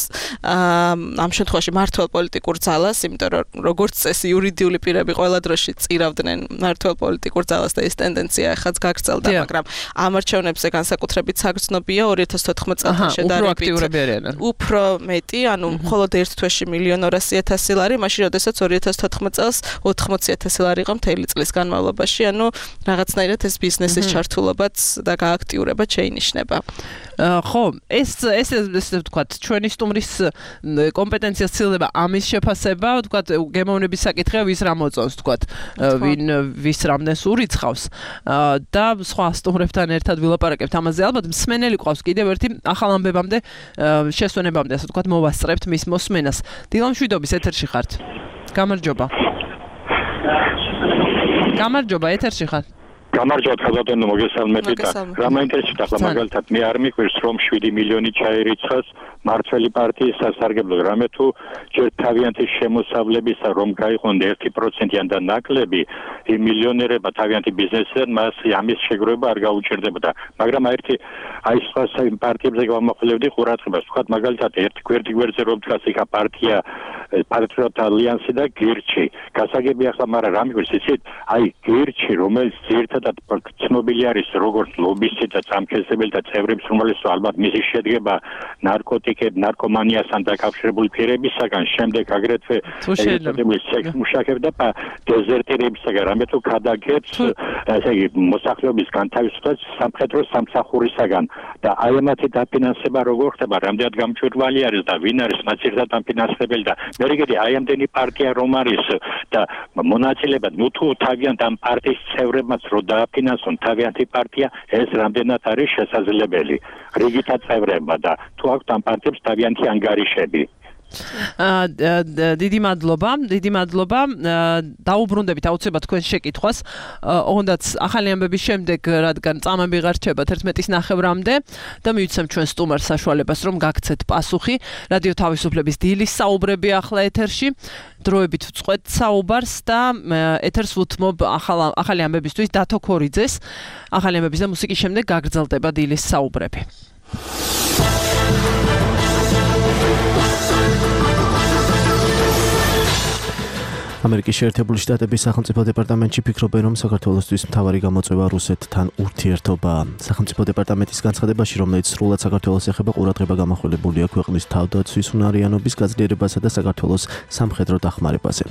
ამ შემთხვევაში მართლ პოლიტიკურ ძალას, იმიტომ რომ როგორც წესი იურიდიული პირები ყველა დროში წირავდნენ მართლ პოლიტიკურ ძალას და ეს ტენდენცია ახაც გაგრძელდა, მაგრამ ამ არჩევნებზე განსაკუთრებით საგრძნობია ორი ათას თოთხმეტ წელთან შედარებით უფრო მეტი, ანუ მხოლოდ ერთ თვეში მილიონ ორასი ათასი ლარი, მაშინ როდესაც ორი ათას თოთხმეტ წელს ოთხმოცი ათასი ლარი იყო მთელი წლის განმავლობაში, ანუ რაღაცნაირად ეს ბიზნესის ჩართულობაც და გააქტიურება შეინიშნება. ხო, ეს ეს ესე ვთქვათ, ჩვენი სტუმრის კომპეტენციას ცდილდება ამის შეფასება, ვთქვათ, გემოვნების საკითხია ვის რა მოწონს, ვთქვათ, ვინ ვის რამდენს ურიცხავს და სხვა სტუმრებთან ერთად ვილაპარაკებთ ამაზე. ალბათ მსმენელი ყავს კიდევ ერთი ახალ ამბებამდე, შესვენებამდე, ასე ვთქვათ, მოვასწრებთ მის მოსმენას. დილა მშვიდობის ეთერში ხართ. გამარჯობა. გამარჯობა, ეთერში ხარ. გამარჯობა ხაზადონო მოგესალმებით და რა მაინტერესებს ახლა მაგალითად მე არ მიყვირს რომ შვიდი მილიონი ჩაერიცხას მართველი პარტიის სასარგებლოდ, რამე თუ ჯერ თავიანთი შემოსავლებისა რომ გაიყონ ერთი პროცენტიან და ნაკლები იმ მილიონერებმა თავიანთი ბიზნესიდან მას ამის შეგროვება არ გაუჭირდებოდა, მაგრამ ერთი აი სხვა პარტიებზე გამახვილებდი ყურადღებას, ვთქვათ მაგალითად ერთი გვერდი გვერდზე რომ დგას იქა პარტია პატრიოტთა ალიანსი და გირჩი გასაგები ახლა მაგრამ რა მიყვირს იცით აი გირჩი რომელიც ერთადად ცნობილი არის როგორც ლობისტი და წამქესებელი და წევრების უმრავლესობა ალბათ მისი შედგება ნარკოტიკებ ნარკომანიასთან დაკავშირებული პირებისაგან შემდეგ აგრეთვე ერთადერთი სექს მუშაკებ და დეზერტირებისაგან რამე თუ ქადაგებს ესე იგი მოსახლეობის განთავისუფლებას სამხედრო სამსახურისაგან და აი ამათი დაფინანსება როგორ ხდება რამდენად გამჭვირვალე არის და ვინ არის მათ ერთად დაფინანსებელი და მერიგედი აი ამდენი პარტია რომ არის და მონაწილეებად ნუ თუ თავიანთ ამ პარტიის წევრებმაც რო დააფინანსონ თავიანთი პარტია ეს რამდენად არის შესაძლებელი რიგითა წევრებმა და თუ აქვთ ამ პარტიებს თავიანთი ანგარიშები დიდი მადლობა, დიდი მადლობა. დაუბრუნდებით აუცილებლად თქვენს შეკითხვას. ოღონდაც ახალი ამბების შემდეგ, რადგან წამები ღარჩება თერთმეტის ნახევრამდე და მივიცემ ჩვენ სტუმარს საშუალებას, რომ გაგცეთ პასუხი. რადიო თავისუფლების დილის საუბრები ახლა ეთერში. დროებით ვწყვეთ საუბარს და ეთერს ვუთმობ ახალი ამბებისთვის დათო ქორიძეს. ახალი ამბების და მუსიკის შემდეგ გაგრძელდება დილის საუბრები. ამერიკის შეერთებული შტატების სახელმწიფო დეპარტამენტში ფიქრობენ, რომ საქართველოსთვის მთავარი გამოწვევა რუსეთთან ურთიერთობაა. სახელმწიფო დეპარტამენტის განცხადებაში, რომელიც სრულად საქართველოს ეხება, ყურადღება გამახვილებულია ქვეყნის თავდაცვის უნარიანობის გაძლიერებასა და საქართველოს სამხედრო დახმარებაზე.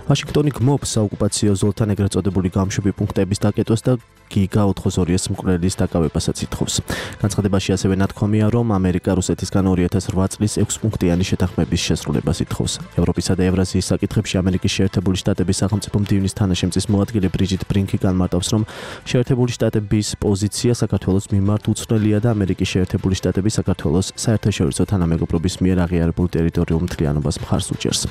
ვაშინგტონი გმობს საოკუპაციო ზოლთან ეგრეთ წოდებული გამშვები პუნქტების დაკეტვას და გიგა ოთხ ათას მკვლელის დაკავებასაც ითხოვს. განცხადებაში ასევე ნათქვამია, რომ ამერიკა რუსეთისგან ორი ათას ოთხ წლის ექვს პუნქტიანი შეთანხმების შესრულებას ითხოვს. ევროპისა და ევრაზიის საკითხებში ამერიკის შეერთებული შტატების სახელმწიფო მდივნის თანაშემწის მოადგილე ბრიჯიტ ბრინკი განმარტავს, რომ შეერთებული შტატების პოზიცია საქართველოს მიმართ უცვლელია და ამერიკის შეერთებული შტატები საქართველოს საერთაშორისო თანამეგობრობის მიერ აღიარებულ ტერიტორიულ მთლიანობას მხარს უჭერს.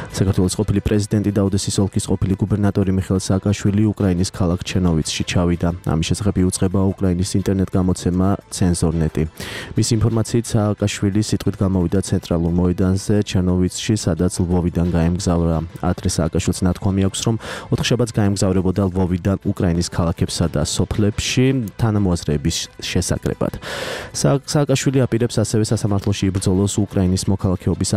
საქართველოს ყოფილი პრეზიდენტი და ოდესის ოლქის ყოფილი გუბერნატორი მიხეილ სააკაშვილი უკრაინის ქალაქ ჩერნოვიცში ჩავიდა. ამის შესახებ იუწყება უკრაინის ინტერნეტ გამოცემა ცენზორნეტი. მისი ინფორმაციით სააკაშვილი სიტყვით გამოვიდა ცენტრალურ მოედანზე ჩერნოვიცში, სადაც ლვოვიდან გაემგზავრა. ადრე სააკაშვილს ნათქვამი აქვს, რომ ოთხშაბათს გაემგზავრებოდა ლვოვიდან უკრაინის ქალაქებსა და სოფლებში თანამოაზრეების შესაკრებად. სააკაშვილი აპირებს ასევე სასამართლოში იბრძოლოს უკრაინის მოქალაქეობის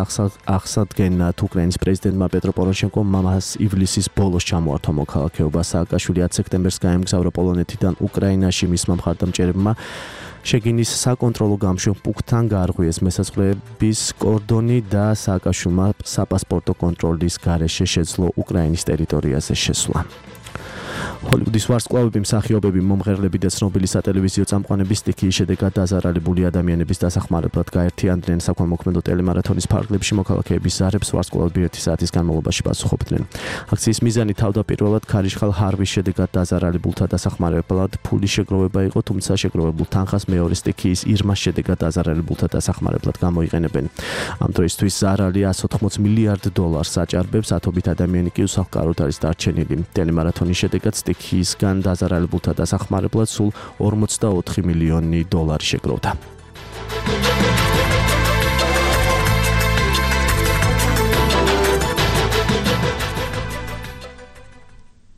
აღსადგენად. უკრაინის პრეზიდენტმა პეტრო პოროშენკომ მამას ივლისის ბოლოს ჩამოართვა მოქალაქეობა. სააკაშვილი ათ სექტემბერს გაემგზავრა პოლონეთიდან უკრაინაში. მისმა მხარდამჭერებმა შეგინის საკონტროლო გამშვებ პუნქტთან გაარღვიეს მესაზღვრეების კორდონი და სააკაშვილმა საპასპორტო კონტროლის გარეშე შეძლო უკრაინის ტერიტორიაზე შესვლა. ჰოლივუდის ვარსკვლავები, მსახიობები, მომღერლები და ცნობილი სატელევიზიო წამყვანები სტიქიის შედეგად დაზარალებული ადამიანების დასახმარებლად გაერთიანდნენ საქველმოქმედო ტელემარათონის ფარგლებში მოქალაქეების ზარებს ვარსკვლავები ერთი საათის განმავლობაში პასუხობდნენ. აქციის მიზანი თავდაპირველად ქარიშხალ ჰარვის შედეგად დაზარალებულთა დასახმარებლად ფულის შეგროვება იყო, თუმცა შეგროვებულ თანხას მეორე სტიქიის ირმას შედეგად დაზარალებულთა დასახმარებლად გამოიყენებენ. ამ დროისთვის ზარალი εκατს ოთხმოცი მილიარდ დოლარს აჭარბებს, ათობით ადამიანი კი უსახლკაროდ არის დარჩენილი. ტელემარათონის შედეგად სტიქიისგან დაზარალებულთა დასახმარებლად სულ ორმოცდაოთხი მილიონი დოლარი შეგროვდა.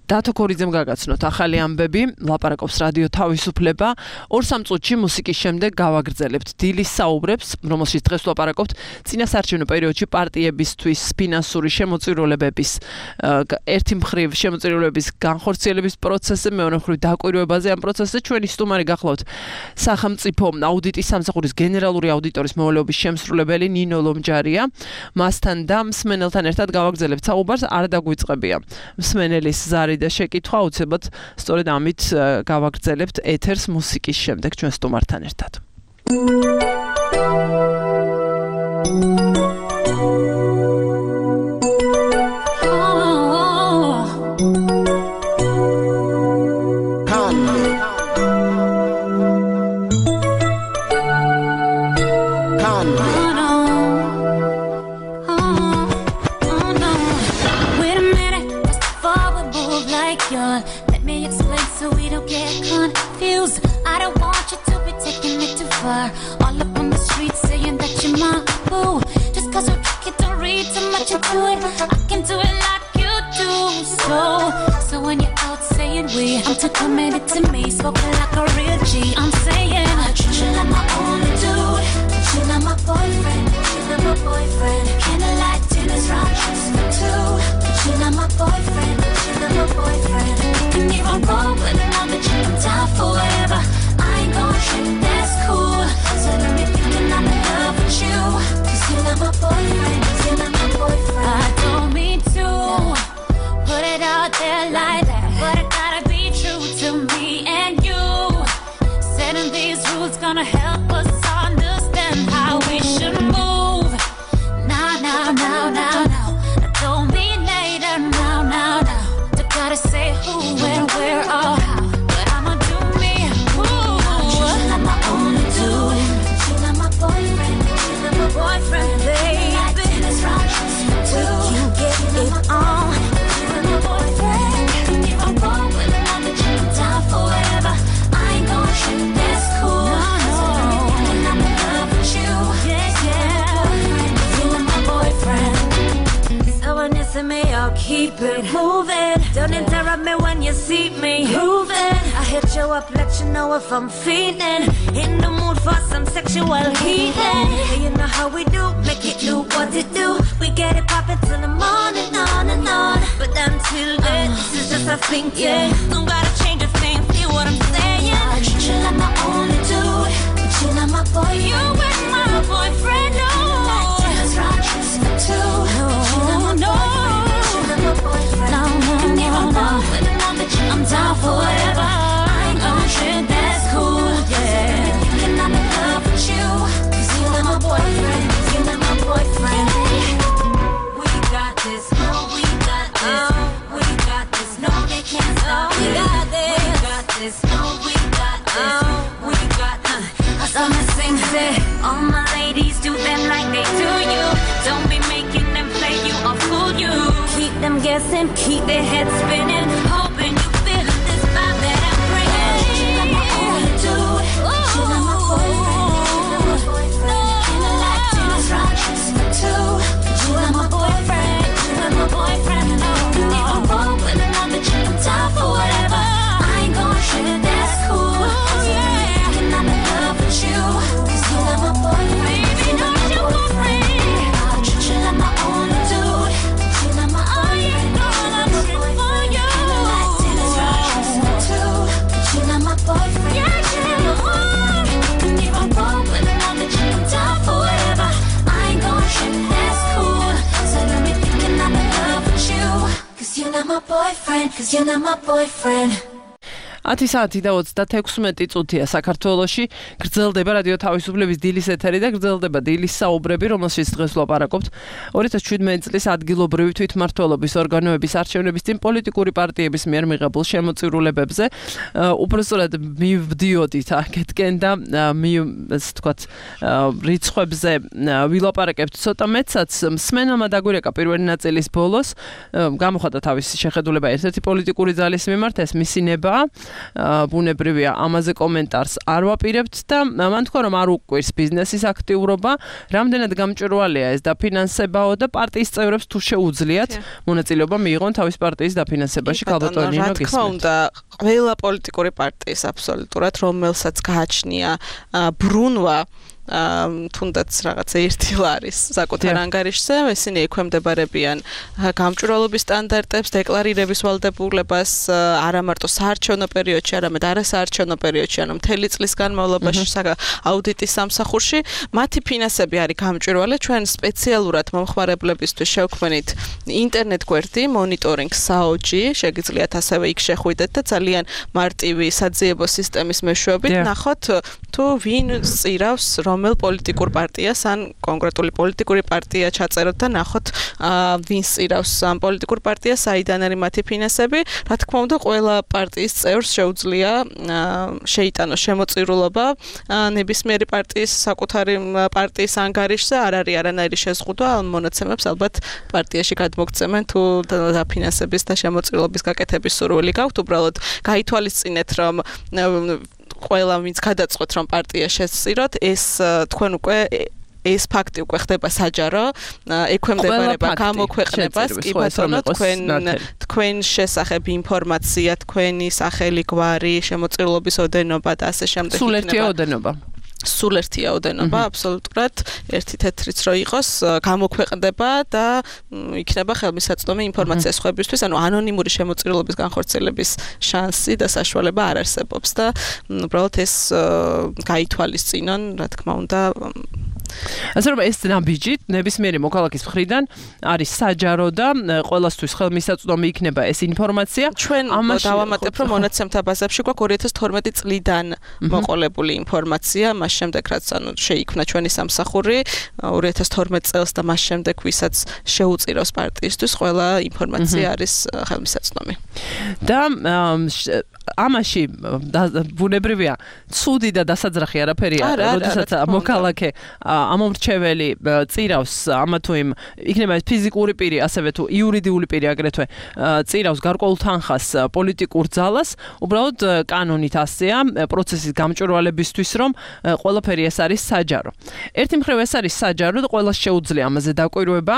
დათო ქორიძემ გაგაცნოთ ახალი ამბები, ლაპარაკობს რადიო თავისუფლება. ორ სამ წუთში მუსიკის შემდეგ გავაგრძელებთ დილის საუბრებს, რომელშიც დღეს ვლაპარაკობთ წინასაარჩევნო პერიოდში პარტიებისთვის ფინანსური შემოწირულობების ერთი მხრივ შემოწირულობების განხორციელების პროცესზე, მეორე მხრივ დაკვირვებაზე ამ პროცესზე. ჩვენი სტუმარი გახლავთ სახელმწიფო აუდიტის სამსახურის გენერალური აუდიტორის მოვალეობის შემსრულებელი ნინო ლომჯარია. მასთან და მსმენელთან ერთად გავაგრძელებთ საუბარს, არ დაგვიწყებია მსმენელის ზარი და შეკითხვა უცებად სწორედ ამით გავაგრძელებთ ეთერს მუსიკის შემდეგ ჩვენ სტუმართან ერთად. Let me explain so we don't get confused. I don't want you to be taking it too far. All up on the street saying that you're my boo. Just cause we're tricky, don't read too much into it. I can do it like you do. So, so when you're out saying we, I'm too committed to me, spoken like a real G. I'm saying I treat you like my only dude. Treat you like my boyfriend, treat you like my boyfriend. Candlelight dinners, round trips for two. Treat you like my boyfriend, treat you like my boyfriend. Don't get me wrong, but I'm the chick, I'm down for whatever. I ain't gon' trip, that's cool. So don't be thinking I'm in love with you. Cause you're not my boyfriend, you're not my boyfriend. I don't mean to put it out there like that, but I gotta be true to me and you. Setting these rules gonna help us understand how we should move. Now, now, now, now, now. see me moving. I hit you up, let you know if I'm feeling in the mood for some sexual healing. Hey, you know how we do, make it do what it do. We get it poppin' till the morning, on and on. But until then, uh, this is just a thing, yeah. Don't gotta change a thing, feel what I'm saying. I treat you like my only dude, but you like my boy. You with my boyfriend, no. Like Dennis Rodgers for two, but you like my boyfriend. You like my boyfriend. No, no, and if I'm wrong with another chick, I'm down for whatever. I ain't gon' trip, that's cool, yeah. Thinking I'm in love with you, 'cause you like my boyfriend. You like my boyfriend. We got this, no, we got this. We got this, no, they can't stop it. We got this, we got this, no, we got this. We got this. I saw my sing say, all my ladies do them like they do you. Don't be making them play you or fool you. Keep them guessing, keep their heads spinning, hoping you feel this vibe that I'm bringing. You like my only dude, you like my boyfriend. You like like Dennis Rodgers for two. You like my boyfriend, you like my boyfriend. And if I'm wrong with another chick, I'm down for whatever. I ain't gon' trip, that's cool. Yeah, and I'm in love with you, 'cause you like my boyfriend. Baby, you like my boyfriend. I treat you like my only dude. You like my only boyfriend. You like Dennis Rodgers for two. You like my boyfriend. Yeah, yeah. And if I'm wrong with another chick, I'm down for whatever. I ain't gon' trip, that's cool. So let me thinking I'm in love with you, 'cause you're not my boyfriend, 'cause you're not my boyfriend. ათი საათი და ოცდათექვსმეტი წუთია საქართველოში. გრძელდება რადიო თავისუფლების დილის ეთერი და გრძელდება დილის საუბრები, რომელშიც დღეს ვლაპარაკობთ ორი ათას შვიდმეტი წლის ადგილობრივი თვითმმართველობის ორგანოების არჩევნების წინ პოლიტიკური პარტიების მიერ მიღებულ შემოწირულებებზე. უпростоრად მივდიოდით აქეთკენ და მი ასე ვთქვათ რიცხვებზე ვილაპარაკებთ ცოტა მეტსაც. მსმენელმა დაგვირეკა პირველი ნაწილის ბოლოს, გამოხატა თავისი შეხედულება ერთ-ერთი პოლიტიკური ძალის მიმართ, ეს მისი ნება. ბუნებრივია ამაზე კომენტარს არ ვაპირებთ და მან თქვა რომ არ უკვირს ბიზნესის აქტიურობა, რამდენად გამჭვირვალეა ეს დაფინანსებაო და პარტიის წევრებს თუ შეუძლიათ მონაწილეობა მიიღონ თავის პარტიის დაფინანსებაში. ქალბატონი ნინო გისმენთ. რა თქმა უნდა, ყველა პოლიტიკური პარტიის აბსოლუტურად რომელსაც გააჩნია ბრუნვა თუნდაც რაღაცა ერთი ლარის საკუთარ ანგარიშზე, ისინი ექვემდებარებიან გამჭვირვალობის სტანდარტებს, დეკლარირების ვალდებულებას არა მარტო საარჩევნო პერიოდში, არამედ არასაარჩევნო პერიოდში, ანუ მთელი წლის განმავლობაში აუდიტის სამსახურში. მათი ფინანსები არის გამჭვირვალე. ჩვენ სპეციალურად მომხმარებლებისთვის შევქმნით ინტერნეტ გვერდი მონიტორინგ საოჯი, შეგიძლიათ ასევე იქ შეხვიდეთ და ძალიან მარტივი საძიებო სისტემის მეშვეობით ნახოთ თუ ვინ წირავს რომელ პოლიტიკურ პარტიას ან კონკრეტული პოლიტიკური პარტია ჩაწეროთ და ნახოთ ვინ წირავს ამ პოლიტიკურ პარტიას, საიდან არის მათი ფინანსები. რა თქმა უნდა, ყველა პარტიის წევრს შეუძლია შეიტანოს შემოწირულობა ნებისმიერი პარტიის საკუთარი პარტიის ანგარიშზე. არ არის არანაირი შეზღუდვა, ამ მონაცემებს ალბათ პარტიაში გადმოგცემენ თუ დაფინანსების და შემოწირულობის გაკეთების სურვილი გაქვთ. უბრალოდ გაითვალისწინეთ რომ ყველა ვინც გადაწყვეტ რომ პარტია შეწიროთ, ეს თქვენ უკვე ეს ფაქტი უკვე ხდება საჯარო, ექვემდებარება გამოქვეყნებას, კი ბატონო, თქვენ თქვენ შესახებ ინფორმაცია, თქვენი სახელი, გვარი, შემოწირულობის ოდენობა და ასე შემდეგ. სულ ერთია ოდენობა. სულ ერთია ოდენობა, აბსოლუტურად ერთი თეთრიც რო იყოს, გამოქვეყნდება და იქნება ხელმისაწვდომი ინფორმაცია სხვებისთვის, ანუ ანონიმური შემოწირულობის განხორციელების შანსი და საშუალება არ არსებობს და უბრალოდ ეს გაითვალისწინონ, რა თქმა უნდა. ასე რომ ეს ნაბიჯი ნებისმიერი მოქალაქის მხრიდან არის საჯარო და ყველასთვის ხელმისაწვდომი იქნება ეს ინფორმაცია. ჩვენ დავამატებ რომ მონაცემთა ბაზებში გვაქვს ორი ათას თორმეტი წლიდან მოყოლებული ინფორმაცია, მას შემდეგ რაც ანუ შეიქმნა ჩვენი სამსახური ორი ათას თორმეტი წელს და მას შემდეგ ვისაც შეუწირავს პარტიისთვის ყველა ინფორმაცია არის ხელმისაწვდომი. და ამაში ბუნებრივია ცუდი და დასაძრახი არაფერი არ, როდესაც მოქალაქე ამომრჩეველი წირავს ამა თუ იმ იქნება ეს ფიზიკური პირი, ასევე თუ იურიდიული პირი აგრეთვე წირავს გარკვეულ თანხას პოლიტიკურ ძალას, უბრალოდ კანონით ასეა პროცესის გამჭვირვალებისთვის, რომ ყველაფერი ეს არის საჯარო. ერთი მხრივ ეს არის საჯარო და ყველას შეუძლია ამაზე დაკვირვება,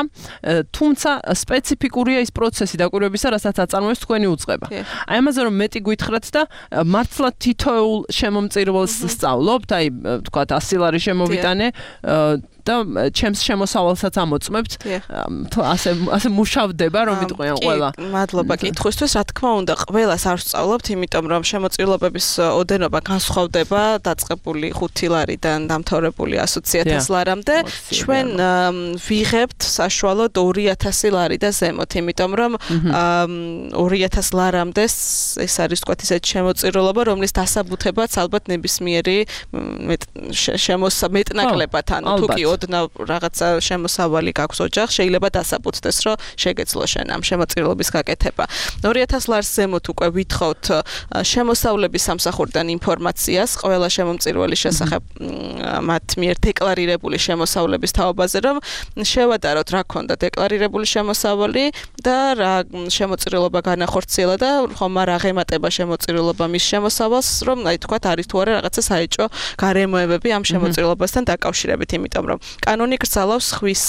თუმცა სპეციფიკურია ის პროცესი დაკვირვებისა, რასაც აწარმოებს თქვენი უწყება. აი ამაზე რომ მეტი გითხრათ და მართლა თითოეულ შემომწირველს სწავლობთ, აი თქვათ ასი ლარი შემოვიტანე და ჩემს შემოსავალსაც ამოწმებთ. ასე ასე მუშავდება, რომ იტყვიან ყველა. მადლობა კითხვისთვის. რა თქმა უნდა, ყველას არ ვსწავლობთ, იმიტომ რომ შემოწირულობების ოდენობა განსხვავდება დაწყებული ხუთი ლარიდან დამთავრებული ასი ათას ლარამდე. ჩვენ ვიღებთ საშუალოდ ორი ათასი ლარი და ზემოთ, იმიტომ რომ ორი ათას ლარამდე ეს არის თქვათ ისეთი შემოწირულობა, რომლის დასაბუთებაც ალბათ ნებისმიერი შემოსამეტნაკლებად, ანუ თუ კი ოდნავ რაღაცა შემოსავალი გაქვს ოჯახს, შეიძლება დასაბუთდეს, რომ შეგეძლო შენ ამ შემოწირულობის გაკეთება. ორი ათას ლარს ზემოთ უკვე ვითხოვთ შემოსავლების სამსახურიდან ინფორმაციას ყველა შემომწირველის შესახებ მათ მიერ დეკლარირებული შემოსავლების თაობაზე, რომ შევადაროთ რა ქონდა დეკლარირებული შემოსავალი და რა შემოწირულობა განახორციელა და ხომ არ აღემატება შემოწირულობა მის შემოსავალს, რომ აი თქვათ არის თუ არა რაღაცა საეჭვო გარემოებები ამ შემოწირულობასთან დაკავშირებით, იმიტომ რომ კანონი გრძალავს ხვის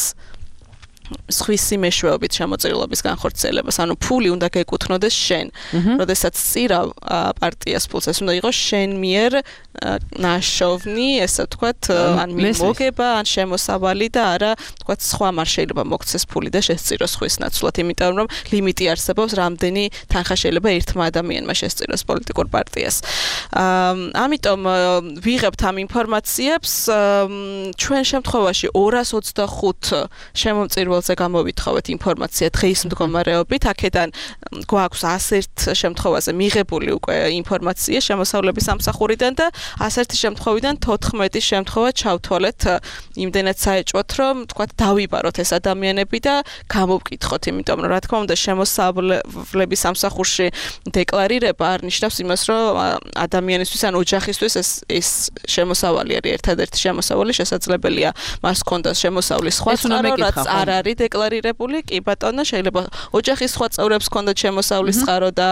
სხვისი მეშვეობით შემოწირულობის განხორციელებას, ანუ ფული უნდა გეკუთვნოდეს შენ. როდესაც წირავ პარტიას ფულს, ეს უნდა იყოს შენ მიერ ნაშოვნი, ესე ვთქვათ, ან მოგება, ან შემოსავალი და არა, ვთქვათ, სხვა არ შეიძლება მოგცეს ფული და შესწიროს ხვის ნაცვლად, იმიტომ რომ ლიმიტი არსებობს, რამდენი თანხა შეიძლება ერთმა ადამიანმა შესწიროს პოლიტიკურ პარტიას. ამიტომ ვიღებთ ამ ინფორმაციებს, ჩვენ შემთხვევაში ორას ოცდახუთ შემომწირველს ზე გამოვითხოვეთ ინფორმაცია დღის მდგომარეობით, აქედან გვაქვს ასერთ შემთხვევაზე მიღებული უკვე ინფორმაცია შემოსავლების სამსახურიდან და ასერთი შემთხვევიდან თოთხმეტი შემთხვევა ჩავთვალეთ იმდენად საეჭვოთ, რომ თქვათ დავიბაროთ ეს ადამიანები და გამოვკითხოთ, იმიტომ რომ რა თქმა უნდა შემოსავლების სამსახურში დეკლარირება არ ნიშნავს იმას, რომ ადამიანისთვის ან ოჯახისთვის ეს ეს შემოსავალი არის ერთადერთი შემოსავალი, შესაძლებელია მას ჰქონდას შემოსავლის სხვა წყარო, რაც არ არის დეკლარირებული, კი ბატონო, შეიძლება ოჯახის სხვა წევრებს ჰქონდათ შემოსავლის წყარო და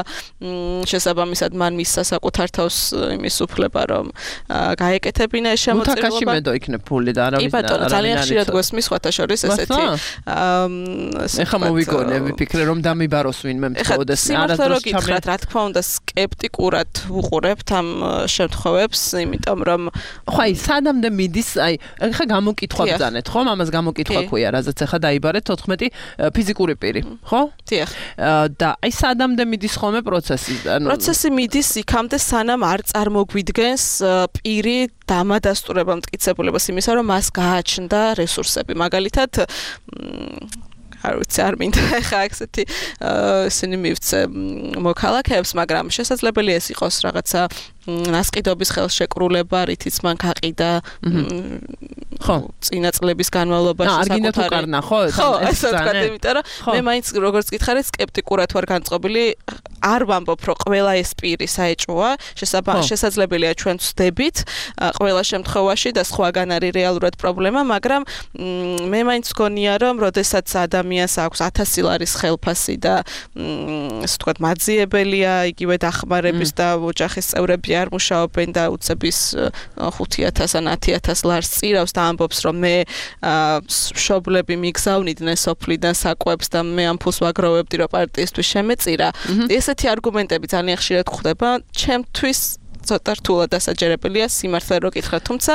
შესაბამისად მან მისცა საკუთარ თავს იმის უფლება, რომ გაეკეთებინა ეს შემოწირულობა. მუთაკაში მედო იქნებ ფული და არავის კი ბატონო, ძალიან ხშირად გვესმის სხვათა შორის ესეთი. ეხა მოვიგონე, ვიფიქრე რომ დამიბაროს ვინმე მთხოვდეს არასდროს ჩამეთ. რა თქმა უნდა, სკეპტიკურად ვუყურებთ ამ შემთხვევებს, იმიტომ რომ ხო აი სადამდე მიდის, აი ეხა გამოკითხვა ბძანეთ, ხო? ამას გამოკითხვა ქვია, რაზეც ეხა დაიბარეთ თოთხმეტი ფიზიკური პირი, ხო? დიახ. და აი სადამდე მიდის ხოლმე პროცესი? ანუ პროცესი მიდის იქამდე, სანამ არ წარმოგვიდგენს პირი დამადასტურება მტკიცებულებას იმისა, რომ მას გააჩნდა რესურსები. მაგალითად, არ ვიცი, არ მინდა ხა ესეთი ისინი მივცე მოქალაქეებს, მაგრამ შესაძლებელია ეს იყოს რაღაცა ნასყიდობის ხელშეკრულება, რითიც მან გაყიდა ხო წინა წლების განმავლობაში საკუთარი ხო ხო ასე ვთქვათ, იმიტომ რომ მე მაინც როგორც გითხარით სკეპტიკურად ვარ განწყობილი, არ ვამბობ, რომ ყველა ეს პირი საეჭვოა, შესაძლებელია ჩვენ ვსდებით ყველა შემთხვევაში და სხვაგან არის რეალურად პრობლემა, მაგრამ მე მაინც გონია, რომ როდესაც ადამიანს აქვს ათასი ლარის ხელფასი და ასე ვთქვათ მაძიებელია იგივე დახმარების და ოჯახის წევრები არ მუშაობენ და უცების ხუთი ათას ან ათი ათას ლარს წირავს და ამბობს, რომ მე მშობლები მიგზავნიდნენ სოფლიდან საკვებს და მე ამ ფულს ვაგროვებდი, რომ პარტიისთვის შემეწირა. ესეთი არგუმენტები ძალიან ხშირად გვხვდება. ჩემთვის ცოტა რთულად დასაჯერებელია სიმართლე რო გითხრათ, თუმცა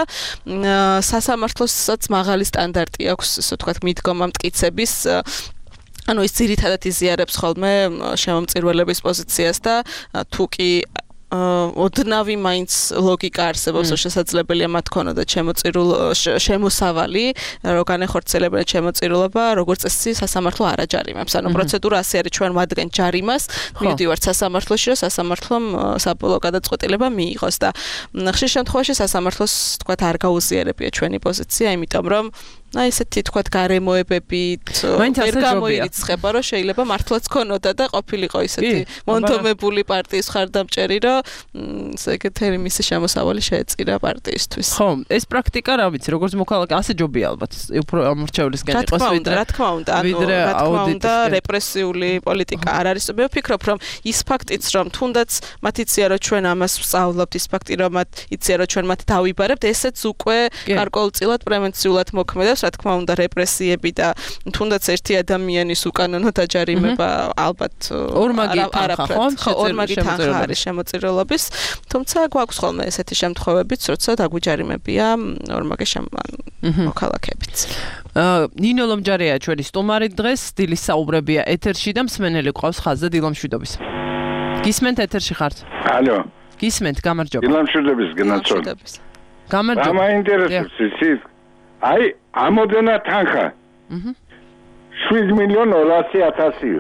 სასამართლოსაც მაღალი სტანდარტი აქვს, ასე ვთქვათ, მიდგომა მტკიცების. ანუ ის ძირითადად იზიარებს ხოლმე შემომწირველების პოზიციას და თუ კი ოდნავი მაინც ლოგიკა არსებობს, რომ შესაძლებელია მათ ქონოდათ შემოწირულ შემოსავალი, რო განეხორციელებენ შემოწირულობა, როგორც წესი სასამართლო არ აჯარიმებს. ანუ პროცედურა ასე არის, ჩვენ ვადგენთ ჯარიმას, მივდივართ სასამართლოში, რომ სასამართლომ საბოლოო გადაწყვეტილება მიიღოს და ხშირ შემთხვევაში სასამართლოს თქვათ არ გაუზიარებია ჩვენი პოზიცია, იმიტომ რომ აი ესეთი თქვა გარემოებებით ვერ გამოირიცხება რომ შეიძლება მართლაც ქონოდა და ყოფილიყო ისეთი მონდომებული პარტიის ხარდამჭერი რომ ესე ეგეთი მისი შემოსავალი შეეწირა პარტიისთვის. ხო, ეს პრაქტიკა რა ვიცი, როგორც მოქალაქე ასე ჯობია ალბათ, უფრო ამორჩევლისგან იყოს ვიდრე რა თქმა უნდა, ანუ რა თქმა უნდა რეპრესიული პოლიტიკა არ არის. მე ვფიქრობ რომ ის ფაქტიც რომ თუნდაც მათ იციან რომ ჩვენ ამას ვსწავლობთ, ის ფაქტი რომ მათ იციან რომ ჩვენ მათ დავიბარებთ, ესეც უკვე გარკვეულწილად პრევენციულად მოქმედებს. რა თქმა უნდა რეპრესიები და თუნდაც ერთი ადამიანის უკანონო დაჯარიმება ალბათ ორმაგი თანხა ხო ორმაგი თანხა არის შემოწირულობის თუმცა გვაქვს ხოლმე ესეთი შემთხვევებიც როცა დაგვიჯარიმებია ორმაგი მოქალაქეებიც ნინო ლომჯარია ჩვენი სტუმარი დღეს დილის საუბრებია ეთერში და მსმენელი ყავს ხაზზე დილომშვიდობის გისმენთ ეთერში ხართ ალო გისმენთ გამარჯობა დილომშვიდობის გენაცოლ გამარჯობა მაინტერესებს ის აი ამოდენა თანხა აჰა შვიდ მილიონ ორასი ათასი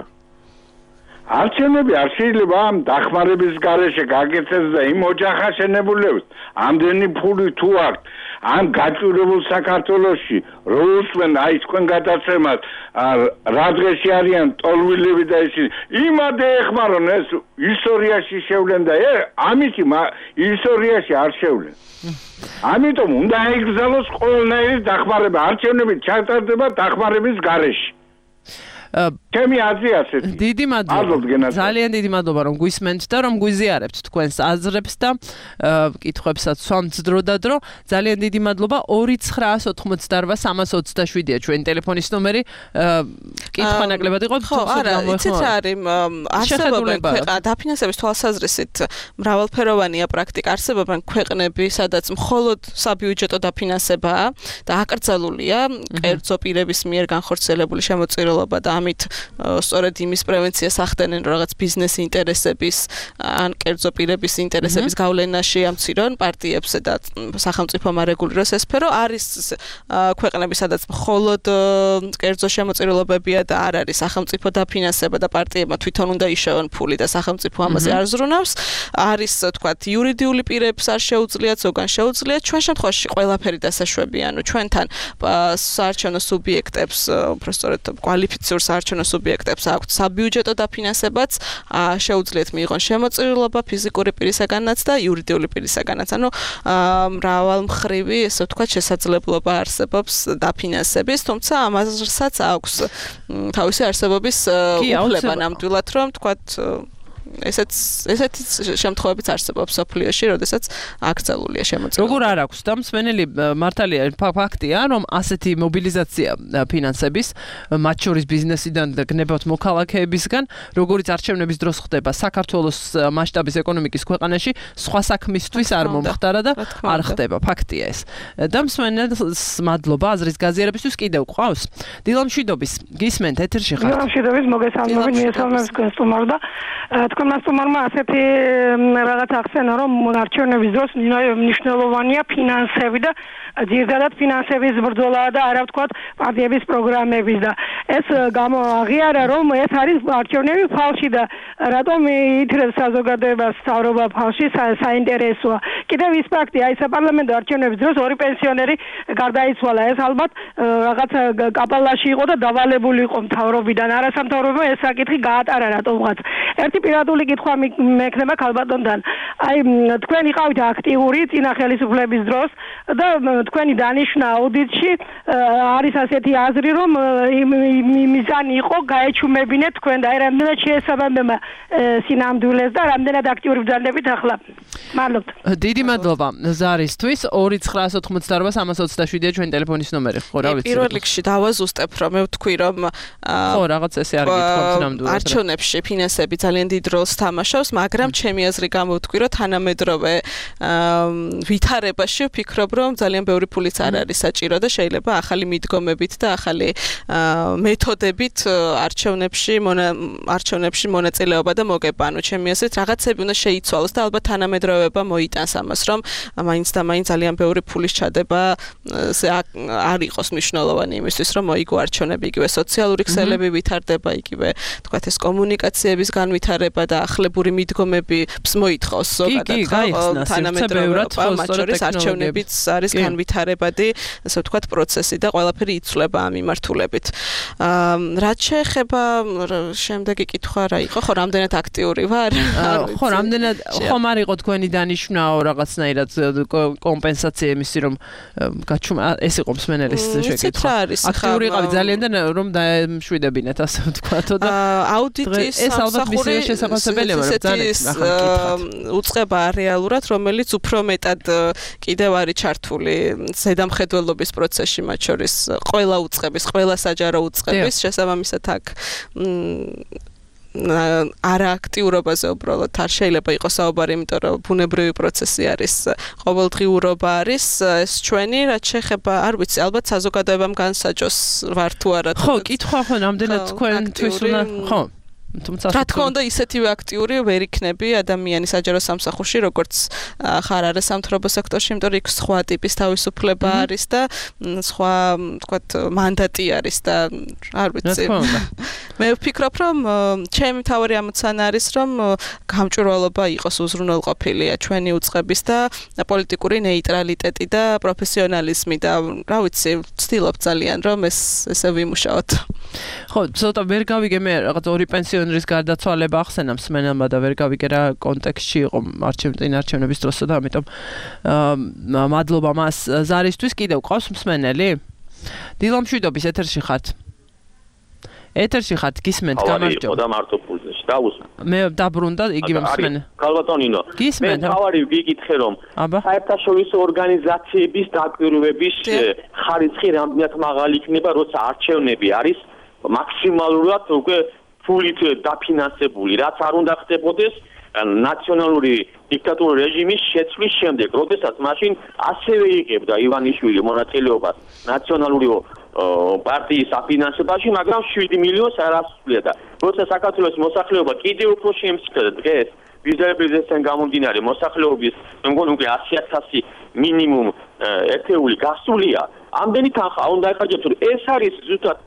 არჩევნები არ შეიძლება ამ დახმარების გარეშე გაკეთდეს და იმ ოჯახას შენებულებს ამდენი ფული თუ აქვს ამ გაჭირებულ საქართველოში რო უსმენ აი თქვენ გადაცემას რა დღეში არიან ტოლვილები და ისინი იმადე ეხმარონ ეს ისტორიაში შევლენ და ამითი ისტორიაში არ შევლენ ამიტომ უნდა აიგზავნოს ყველანაირი დახმარება არჩევნები ჩატარდება დახმარების გარეშე ჩემი აზრი ასეთი. დიდი მადლობა. ძალიან დიდი მადლობა რომ გვისმენთ და რომ გვიზიარებთ თქვენს აზრებს და კითხვებსაც სვამთ დრო და დრო. ძალიან დიდი მადლობა. ორი ცხრაას ოთხმოცდაორვა სამას ოცდაშვიდია ჩვენი ტელეფონის ნომერი. კითხვა ნაკლებად იყო. ხო, არა, იცით რა არის არსებობენ ქვეყანა დაფინანსების თვალსაზრისით მრავალფეროვანია პრაქტიკა. არსებობენ ქვეყნები, სადაც მხოლოდ საბიუჯეტო დაფინანსებაა და აკრძალულია კერძო პირების მიერ განხორციელებული შემოწირულობა და ამით სწორედ იმის პრევენციას ახდენენ რაღაც ბიზნეს ინტერესების ან კერძო პირების ინტერესების გავლენაში ამცირონ პარტიებზე და სახელმწიფომ არეგულიროს ეს სფერო არის ქვეყნები სადაც მხოლოდ კერძო შემოწირულობებია და არ არის სახელმწიფო დაფინანსება და პარტიებმა თვითონ უნდა იშოვონ ფული და სახელმწიფო ამაზე არ ზრუნავს არის თქვათ იურიდიული პირებს არ შეუძლიათ ზოგან შეუძლიათ ჩვენ შემთხვევაში ყველაფერი დასაშვებია ანუ ჩვენთან საარჩევნო სუბიექტებს უფრო სწორედ კვალიფიციურ საარჩევნო სუბიექტებს აქვთ საბიუჯეტო დაფინანსებაც შეუძლიათ მიიღონ შემოწირულობა ფიზიკური პირისაგანაც და იურიდიული პირისაგანაც. ანუ მრავალმხრივი, ესე ვთქვათ, შესაძლებლობა არსებობს დაფინანსების, თუმცა ამასაც აქვს თავისი არსებობის უფლება ნამდვილად, რომ ვთქვათ ესეც ესეთი შემთხვევებიც არსებობს სოფლიოში, როდესაც აკრძალულია შემოწირულობა. როგორ არ აქვს და მსმენელი მართალია ფაქტია, რომ ასეთი მობილიზაცია ფინანსების მათ შორის ბიზნესიდან და გნებავთ მოქალაქეებისგან, როგორც არჩევნების დროს ხდება საქართველოს მასშტაბის ეკონომიკის ქვეყანაში, სხვა საქმისთვის არ მომხდარა და არ ხდება, ფაქტია ეს. და მსმენელს მადლობა აზრის გაზიარებისთვის კიდევ ყავს. დილომშვიდობის გისმენთ ეთერში ხართ. დილომშვიდობის მოგესალმებით, მიესალმებს თქვენს სტუმარს და თქვენმა სტუმარმა ასეთი რაღაც ახსენა რომ არჩევნების დროს მნიშვნელოვანია ფინანსები და ძირითადად ფინანსების ბრძოლა და არა ვთქვათ პარტიების პროგრამების და ეს გამოაღიარა რომ ეს არის არჩევნები ფალში და რატომ ითრებს საზოგადოებას სწავლობა ფალში საინტერესოა. კიდევ ის ფაქტი აი საპარლამენტო არჩევნების დროს ორი პენსიონერი გარდაიცვალა ეს ალბათ რაღაც კაპალაში იყო და დავალებული იყო მთავრობიდან არასამთავრობო ეს საკითხი გაატარა რატომღაც. ერთი პირადული კითხვა მექნება ქალბატონთან. აი თქვენ იყავით აქტიური წინა ხელისუფლების დროს და თქვენი დანიშვნა აუდიტში არის ასეთი აზრი რომ მიზანი იყო გაეჩუმებინეთ თქვენ და აი რამდენად შეესაბამება სინამდვილეს და რამდენად აქტიური ბრძანდებით ახლა. მადლობთ. დიდი მადლობა ზარისთვის ორი ცხრაას ოთხმოცდაორვა სამას ოცდაშვიდია ჩვენ ტელეფონის ნომერი. ხო რა ვიცი. პირველ რიგში დავაზუსტებ რომ მე ვთქვი რომ ხო რაღაც ესე არ გითხოვთ ნამდვილად. არჩევნებში ფინანსები ძალიან დიდ როლს თამაშობს, მაგრამ ჩემი აზრი გამოვთქვი რომ თანამედროვე ვითარებაში ვფიქრობ რომ ძალიან ბევრი ფულიც არ არის საჭირო და შეიძლება ახალი მიდგომებით და ახალი მეთოდებით არჩევნებში არჩევნებში მონაწილეობა და მოგება. ანუ ჩემი აზრით რაღაცები უნდა შეიცვალოს და ალბათ თანამედროვეობა მოიტანს ამას, რომ მაინც და მაინც ძალიან ბევრი ფულის ჩადება არ იყოს მნიშვნელოვანი იმისთვის, რომ მოიგო არჩევნები, იგივე სოციალური ქსელები ვითარდება, იგივე თქვათ ეს კომუნიკაციების განვითარება განხორციელება და ახლებური მიდგომებს მოითხოვს ზოგადად ხო თანამედროვე მათ შორის არჩევნებიც არის განვითარებადი ასე ვთქვათ პროცესი და ყველაფერი იცვლება ამ მიმართულებით. რაც შეეხება შემდეგი კითხვა რა იყო ხო რამდენად აქტიური ვარ? ხო რამდენად ხომ არ იყო თქვენი დანიშვნაო რაღაცნაირად კომპენსაცია იმისი რომ გაჩუმა ეს იყო მსმენელის შეკითხვა. აქტიური იყავი ძალიან და რომ დაემშვიდებინეთ ასე ვთქვათო და აუდიტის ეს ალბათ მისია შესაძლებელია მაგრამ ძალიან უწყება რეალურად რომელიც უფრო მეტად კიდევ არის ჩართული ზედამხედველობის პროცესში მათ შორის ყველა უწყების ყველა საჯარო უწყების შესაბამისად აქ არააქტიურობაზე უბრალოდ არ შეიძლება იყოს საუბარი, იმიტომ რომ ბუნებრივი პროცესი არის, ყოველდღიურობა არის, ეს ჩვენი, რაც შეეხება, არ ვიცი, ალბათ საზოგადოებამ განსაჯოს ვარ თუ არა. ხო, კითხვა ხო, რამდენად თქვენთვის უნდა, ხო. რა თქმა უნდა ისეთივე აქტიური ვერ იქნები ადამიანი საჯარო სამსახურში როგორც ხარ არის სამთავრობო სექტორში, იმიტომ რომ იქ სხვა ტიპის თავისუფლება არის და სხვა თქვათ მანდატი არის და არ ვიცი. მე ვფიქრობ რომ ჩემი თავი ამოცანა არის რომ გამჭვირვალობა იყოს უზრუნველყოფილია ჩვენი უწყების და პოლიტიკური ნეიტრალიტეტი და პროფესიონალიზმი და რა ვიცი ვცდილობ ძალიან რომ ეს ესე ვიმუშაოთ. ხო, ცოტა ვერ გავიგე მე რაღაც ორი პენსიონერის გარდაცვალება ახსენა მსმენელმა და ვერ გავიგე რა კონტექსტში იყო არჩევნების არჩევნების დროსა და ამიტომ მადლობა მას ზარისთვის. კიდევ ყავს მსმენელი? დილამშვიდობის ეთერში ხართ. ეთერში ხართ, გისმენთ, გამარჯობა. და მარტო პულზეში დაუსმენ. მე დაბრუნდა იგივე მსმენელი. ქალბატონინო. მე თავარი ვიკითხე რომ საერთაშორისო ორგანიზაციების დაკვირვების ხარისხი რამდენად მაღალი იქნება, როცა არჩევნები არის მაქსიმალურად უკვე ფულით დაფინანსებული, რაც არ უნდა ხდებოდეს ნაციონალური დიქტატურული რეჟიმის შეცვლის შემდეგ, როდესაც მაშინ ასევე იღებდა ივანიშვილი მონაწილეობას ნაციონალური პარტიის საფინანსებაში, მაგრამ შვიდი მილიონს არ ასრულებდა და როცა საქართველოს მოსახლეობა კიდევ უფრო შემცირდა დღეს ვიზებისგან გამომდინარე მოსახლეობის მე მგონი უკვე ასი ათასი მინიმუმ ერთეული გასულია. ამდენი თანხა უნდა ეხარჯოთ, ეს არის ზუსტად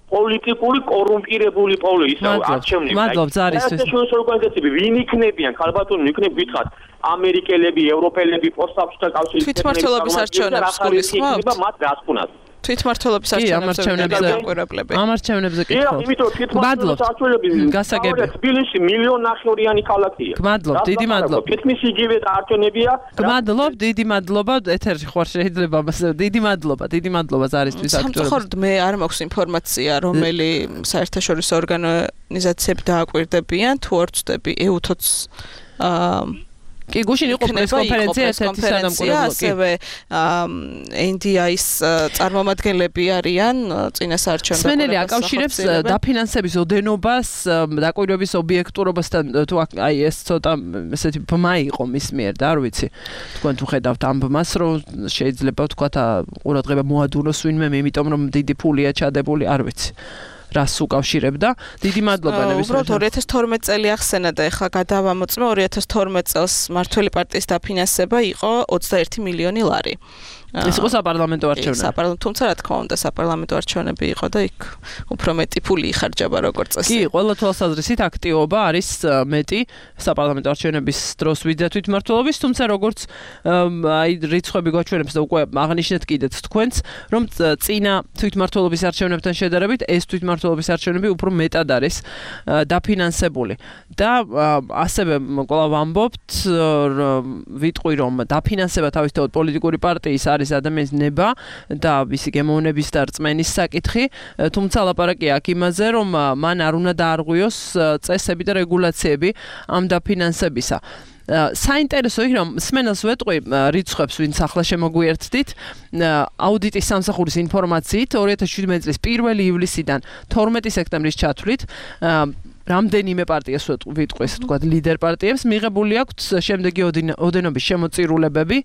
პოლიტიკური კორუმპირებული პოლიტიკა არჩევნები. მადლობ ზარისთვის. ეს ორგანიზაციები ვინ იქნებიან? ხალბატონი იქნებ გითხრათ ამერიკელები, ევროპელები, პოსტსაბჭოთა კავშირის თვითმმართველობის არჩევნებს გულისხმობთ? მათ გასკვნათ. თვითმმართველობის არჩევნებზე დაკვირვებლები. ამ არჩევნებზე კითხავთ. მადლობ. გასაგები. თბილისში მილიონ ნახევრიანი ქალაქია. მადლობ, დიდი მადლობა. თითქმის იგივე არჩევნებია. მადლობ, დიდი მადლობა. ეთერში ხარ შეიძლება მასე. დიდი მადლობა, დიდი მადლობა ზარისთვის აქტიურობისთვის. სამწუხაროდ მე არ მაქვს ინფორმაცია, რომელი საერთაშორისო ორგანიზაციები დააკვირდებიან, თუ არ ვწდები ეუთოც აა კი გუშინ იყო პრესკონფერენცია ერთ-ერთი სადამკვირვებლო კი ასევე ენ დი აის წარმომადგენლები არიან წინას არჩევნებში. მსმენელი აკავშირებს დაფინანსების ოდენობას დაკვირვების ობიექტურობასთან თუ აი ეს ცოტა ესეთი ბმა იყო მის მიერ და არ ვიცი თქვენ თუ ხედავთ ამ ბმას რომ შეიძლება ვთქვათ ყურადღება მოადუნოს ვინმე იმიტომ რომ დიდი ფულია ჩადებული არ ვიცი რას უკავშირებდა. დიდი მადლობა ნებისმიერ. უბრალოდ ორი ათას თორმეტი წელი ახსენა და ეხლა გადავამოწმე ორი ათას თორმეტი წელს მართველი პარტიის დაფინანსება იყო ოცდაერთი მილიონი ლარი. ეს იყო საპარლამენტო არჩევნები. საპარლამენტო, თუმცა რა თქმა უნდა საპარლამენტო არჩევნები იყო და იქ უფრო მეტი ფული იხარჯება როგორც წესი. კი, ყველა თვალსაზრისით აქტივობა არის მეტი საპარლამენტო არჩევნების დროს ვიდრე თვითმმართველობის, თუმცა როგორც აი რიცხვები გვაჩვენებს და უკვე აღნიშნეთ კიდეც თქვენს, რომ წინა თვითმმართველობის არჩევნებთან შედარებით ეს თვითმმართველობის არჩევნები უფრო მეტად არის დაფინანსებული. და ასევე კვლავ ვამბობთ, ვიტყვი რომ დაფინანსება თავისთავად პოლიტიკური პარტიის არის ადამიანის ნება და მისი გემოვნების და რწმენის საკითხი, თუმცა ლაპარაკია აქ იმაზე, რომ მან არ უნდა დაარღვიოს წესები და რეგულაციები ამ დაფინანსებისა. საინტერესო იქ რომ მსმენელს ვეტყვი რიცხვებს ვინც ახლა შემოგვიერთდით აუდიტის სამსახურის ინფორმაციით ორი ათას შვიდმეტი წლის პირველი ივლისიდან თორმეტი სექტემბრის ჩათვლით რამდენიმე პარტიას ვიტყვი, ესე ვთქვათ, ლიდერ პარტიებს მიღებული აქვთ შემდეგი ოდენობის შემოწირულებები.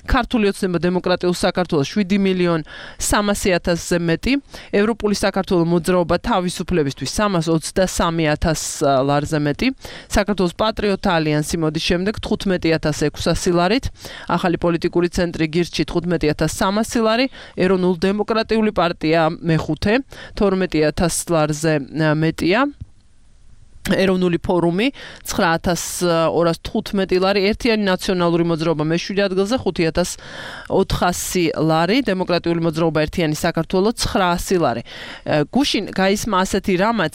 ქართული ოცნება დემოკრატიულ საქართველოს შვიდი მილიონ სამასი ათასზე მეტი, ევროპული საქართველოს მოძრაობა თავისუფლებისთვის სამას ოცდასამი ათას ლარზე მეტი, საქართველოს პატრიოტთა ალიანსი მოდის შემდეგ თხუთმეტი ათას ექვსასი ლარით, ახალი პოლიტიკური ცენტრი გირჩი თხუთმეტი ათას სამასი ლარი, ეროვნულ დემოკრატიული პარტია მეხუთე, თორმეტი ათას ლარზე მეტია. ეროვნული ფორუმი ცხრა ათას ორას თხუთმეტი ლარი, ერთიანი ნაციონალური მოძრაობა მეშვიდე ადგილზე ხუთი ათას ოთხასი ლარი, დემოკრატიული მოძრაობა ერთიანი საქართველო ცხრაასი ლარი. გუშინ გაისმა ასეთი რამაც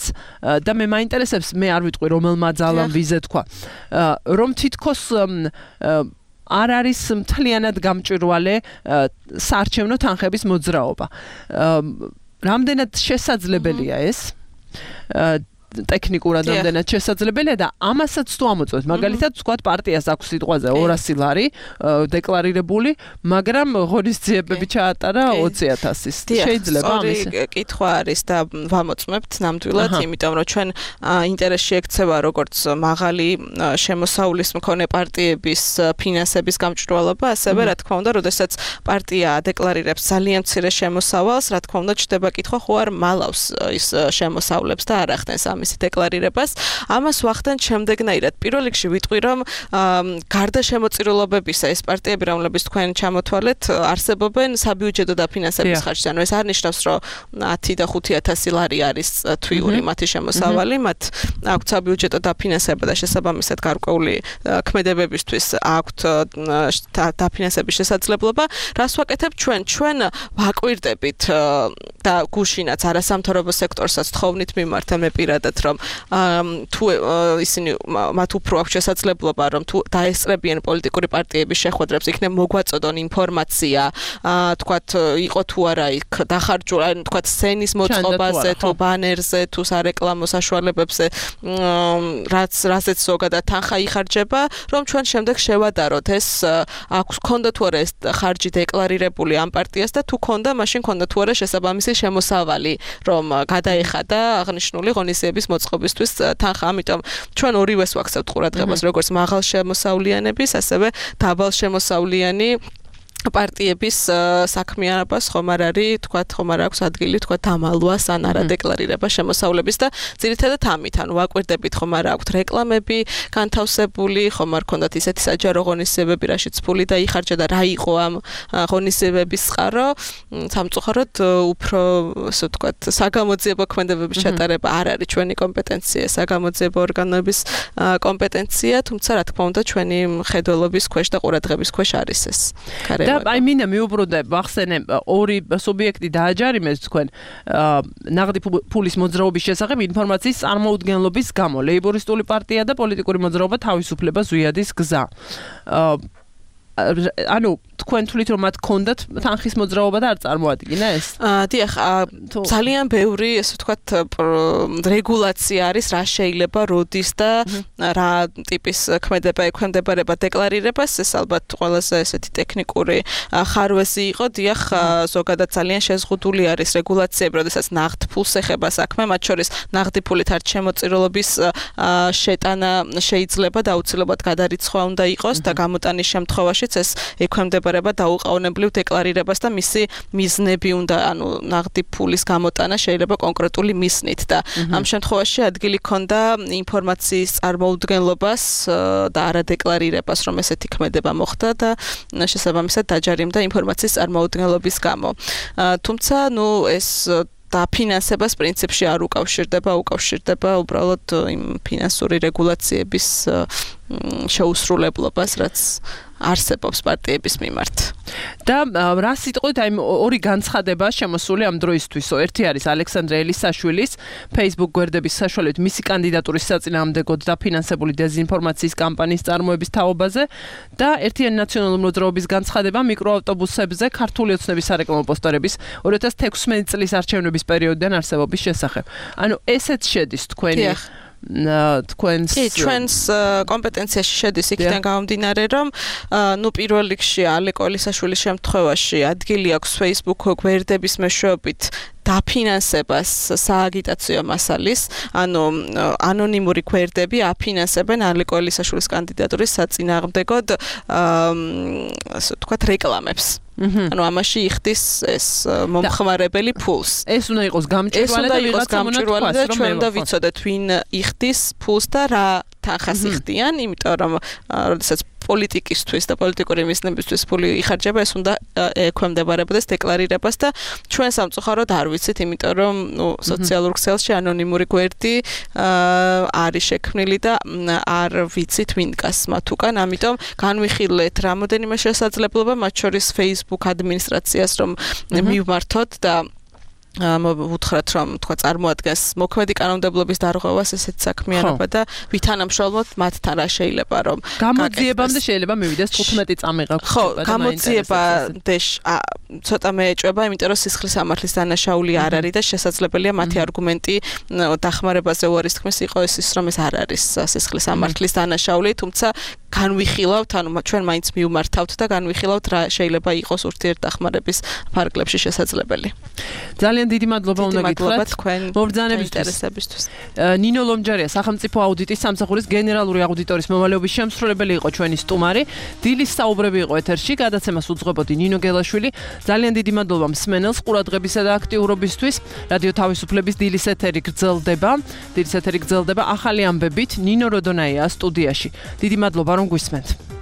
და მე მაინტერესებს, მე არ ვიტყვი რომელმა ძალამ ვიზე თქვა, რომ თითქოს არ არის მთლიანად გამჭვირვალე საარჩევნო თანხების მოძრაობა. რამდენად შესაძლებელია ეს? ტექნიკურად ამდენად შესაძლებელია და ამასაც თუ ამოწმოთ, მაგალითად ვთქვათ პარტიას აქვს სიტყვაზე ორასი ლარი დეკლარირებული, მაგრამ ღონისძიებები ჩაატარა ოცი ათასის. შეიძლება ამის კითხვა არის და ვამოწმებთ ნამდვილად, იმიტომ რომ ჩვენ ინტერესში ექცევა როგორც მაღალი შემოსავლის მქონე პარტიების ფინანსების გამჭვირვალობა, ასევე რა თქმა უნდა, როდესაც პარტია დეკლარირებს ძალიან მცირე შემოსავალს, რა თქმა უნდა, ჩდება კითხვა, ხო არ მალავს ის შემოსავლებს და არ ახდენს მისი დეკლარირებას. ამას ვახდენთ შემდეგნაირად. პირველ რიგში ვიტყვი, რომ გარდა შემოწირულობებისა ეს პარტიები, რომლებიც თქვენ ჩამოთვალეთ, არსებობენ საბიუჯეტო დაფინანსების ხარჯზე. ანუ ეს არ ნიშნავს, რომ ათი და ხუთი ათასი ლარი არის თვიური მათი შემოსავალი, მათ აქვთ საბიუჯეტო დაფინანსება და შესაბამისად გარკვეული ქმედებებისთვის აქვთ დაფინანსების შესაძლებლობა. რას ვაკეთებ ჩვენ? ჩვენ ვაკვირდებით და გუშინაც არასამთავრობო სექტორსაც თხოვნით მიმართა მე პირადად, რომ თუ ისინი მათ უფრო აქვს შესაძლებლობა, რომ თუ დაესწრებიან პოლიტიკური პარტიების შეხვედრებს, იქნებ მოგვაწოდონ ინფორმაცია, თქვათ იყო თუ არა იქ დახარჯული, თქვათ სცენის მოწყობაზე, თუ ბანერზე, თუ სარეკლამო საშუალებებზე, რაც რაზეც ზოგადად თანხა იხარჯება, რომ ჩვენ შემდეგ შევადაროთ ეს აქვს ქონდა თუ არა ეს ხარჯი დეკლარირებული ამ პარტიას და თუ ქონდა, მაშინ ქონდა თუ არა შესაბამისი შემოსავალი, რომ გადაეხადა აღნიშნული ღონისძიების მოწყობისთვის თანხა. ამიტომ ჩვენ ორივეს ვაქცევთ ყურადღებას, როგორც მაღალ შემოსავლიანების, ასევე დაბალ შემოსავლიანი პარტიების საქმიანობას ხომ არ არის, თქვათ, ხომ არ აქვს ადგილი, თქვათ, დამალვას ან არა დეკლარირება შემოსავლების და ძირითადად ამით, ანუ ვაკვირდებით, ხომ არ აქვს რეკლამები განთავსებული, ხომ არ ქონდათ ისეთი საჯარო ღონისძიებები, რაშიც ფული დაიხარჯა და რა იყო ამ ღონისძიებების წყარო. სამწუხაროდ უფრო, ასე ვთქვათ, საგამოძიებო ქმედებების ჩატარება არ არის ჩვენი კომპეტენცია, საგამოძიებო ორგანოების კომპეტენცია, თუმცა რა თქმა უნდა, ჩვენი მხედველობის ქვეშ და ყურადღების ქვეშ არის ეს. და აი მინდა მიუბრუნდე ვახსენე ორი სუბიექტი დააჯარიმეს თქვენ ნაღდი ფულის მოძრაობის შესახებ ინფორმაციის წარმოუდგენლობის გამო. ლეიბორისტული პარტია და პოლიტიკური მოძრაობა თავისუფლება ზვიადის გზა. ანუ თქვენ თვლით რომ მათ ქონდათ თანხის მოძრაობა და არ წარმოადგინა ეს? დიახ, ძალიან ბევრი, ასე ვთქვათ, რეგულაცია არის, რა შეიძლება როდის და რა ტიპის ქმედება ექვემდებარება დეკლარირებას. ეს ალბათ ყველაზე ესეთი ტექნიკური ხარვეზი იყო. დიახ, ზოგადად ძალიან შეზღუდული არის რეგულაციები, როდესაც ნაღდ ფულს ეხება საქმე, მათ შორის ნაღდი ფულით არ შემოწირულობის შეტანა შეიძლება და აუცილებლად გადარიცხვა უნდა იყოს და გამოტანის შემთხვევაში ეს ექვემდებარება დაუყოვნებლივ დეკლარირებას და მისი მიზნები უნდა, ანუ ნაღდი ფულის გამოტანა შეიძლება კონკრეტული მიზნით და ამ შემთხვევაში ადგილი ქონდა ინფორმაციის წარმოუდგენლობას და არადეკლარირებას, რომ ესეთი ქმედება მოხდა და შესაბამისად დაჯარიმდა ინფორმაციის წარმოუდგენლობის გამო. თუმცა, ნუ ეს და ფინანსებას პრინციპში არ უკავშირდება, უკავშირდება უბრალოდ იმ ფინანსური რეგულაციების შეუსრულებლობას, რაც არსებობს პარტიების მიმართ. და რა სიტყვით აი ორი განცხადება შემოსული ამ დროისთვის. ერთი არის ალექსანდრე ელისაშვილის Facebook გვერდების საშუალებით მისი კანდიდატურის საწინააღმდეგოდ დაფინანსებული დეზინფორმაციის კამპანიის წარმოების თაობაზე და ერთიანი ნაციონალური მოძრაობის განცხადება მიკროავტობუსებზე ქართული ოცნების სარეკლამო პოსტერების ორი ათას თექვსმეტი წლის არჩევნების პერიოდიდან არსებობის შესახებ. ანუ ესეც შედის თქვენი თქვენს ჩვენს კომპეტენციაში შედის იქიდან გამომდინარე, რომ ნუ პირველ რიგში ალეკო ელისაშვილის შემთხვევაში ადგილი აქვს Facebook გვერდების მეშვეობით დაფინანსებას სააგიტაციო მასალის, ანუ ანონიმური გვერდები აფინანსებენ ალეკო ელისაშვილის კანდიდატურის საწინააღმდეგოდ ასე ვთქვათ რეკლამებს. ანუ ამაში იხდის ეს მომხმარებელი ფულს. ეს უნდა იყოს გამჭვირვალე და ვიღაცა გამჭვირვალე და ჩვენ უნდა ვიცოდეთ ვინ იხდის ფულს და რა თანხას იხდიან, იმიტომ რომ როდესაც პოლიტიკისთვის და პოლიტიკური მიზნებისთვის ფული იხარჯება, ეს უნდა ექვემდებარებოდეს დეკლარირებას და ჩვენ სამწუხაროდ არ ვიცით, იმიტომ რომ ნუ სოციალურ ქსელში ანონიმური გვერდი არის შექმნილი და არ ვიცით ვინ დგას მათ უკან, ამიტომ განვიხილეთ რამოდენიმე შესაძლებლობა, მათ შორის Facebook ადმინისტრაციას რომ მივმართოთ და მოვუთხრათ რომ თქვა წარმოადგენს მოქმედი კანონმდებლობის დარღვევას ესეთ საქმიანობა და ვითანამშრომლოთ მათთან რა შეიძლება რომ გამოძიებამდე შეიძლება მივიდეს თხუთმეტი წამი გაქვს ხო გამოძიებამდე ცოტა მეეჭვება იმიტომ რომ სისხლის სამართლის დანაშაული არ არის და შესაძლებელია მათი არგუმენტი დახმარებაზე უარის თქმის იყო ეს ის რომ ეს არ არის სისხლის სამართლის დანაშაული თუმცა განვიხილავთ ანუ ჩვენ მაინც მივმართავთ და განვიხილავთ რა შეიძლება იყოს ურთიერთდახმარების ფარგლებში შესაძლებელი ძალიან დიდი მადლობა უნდა გითხრათ თქვენ მობრძანებისთვის. ნინო ლომჯარია სახელმწიფო აუდიტის სამსახურის გენერალური აუდიტორის მოვალეობის შემსრულებელი იყო ჩვენი სტუმარი. დილის საუბრები იყო ეთერში, გადაცემას უძღვებოდი ნინო გელაშვილი. ძალიან დიდი მადლობა მსმენელს ყურადღებისა და აქტიურობისთვის. რადიო თავისუფლების დილის ეთერი გრძელდება. დილის ეთერი გრძელდება ახალი ამბებით ნინო როდონაია სტუდიაში. დიდი მადლობა რომ გვისმენთ.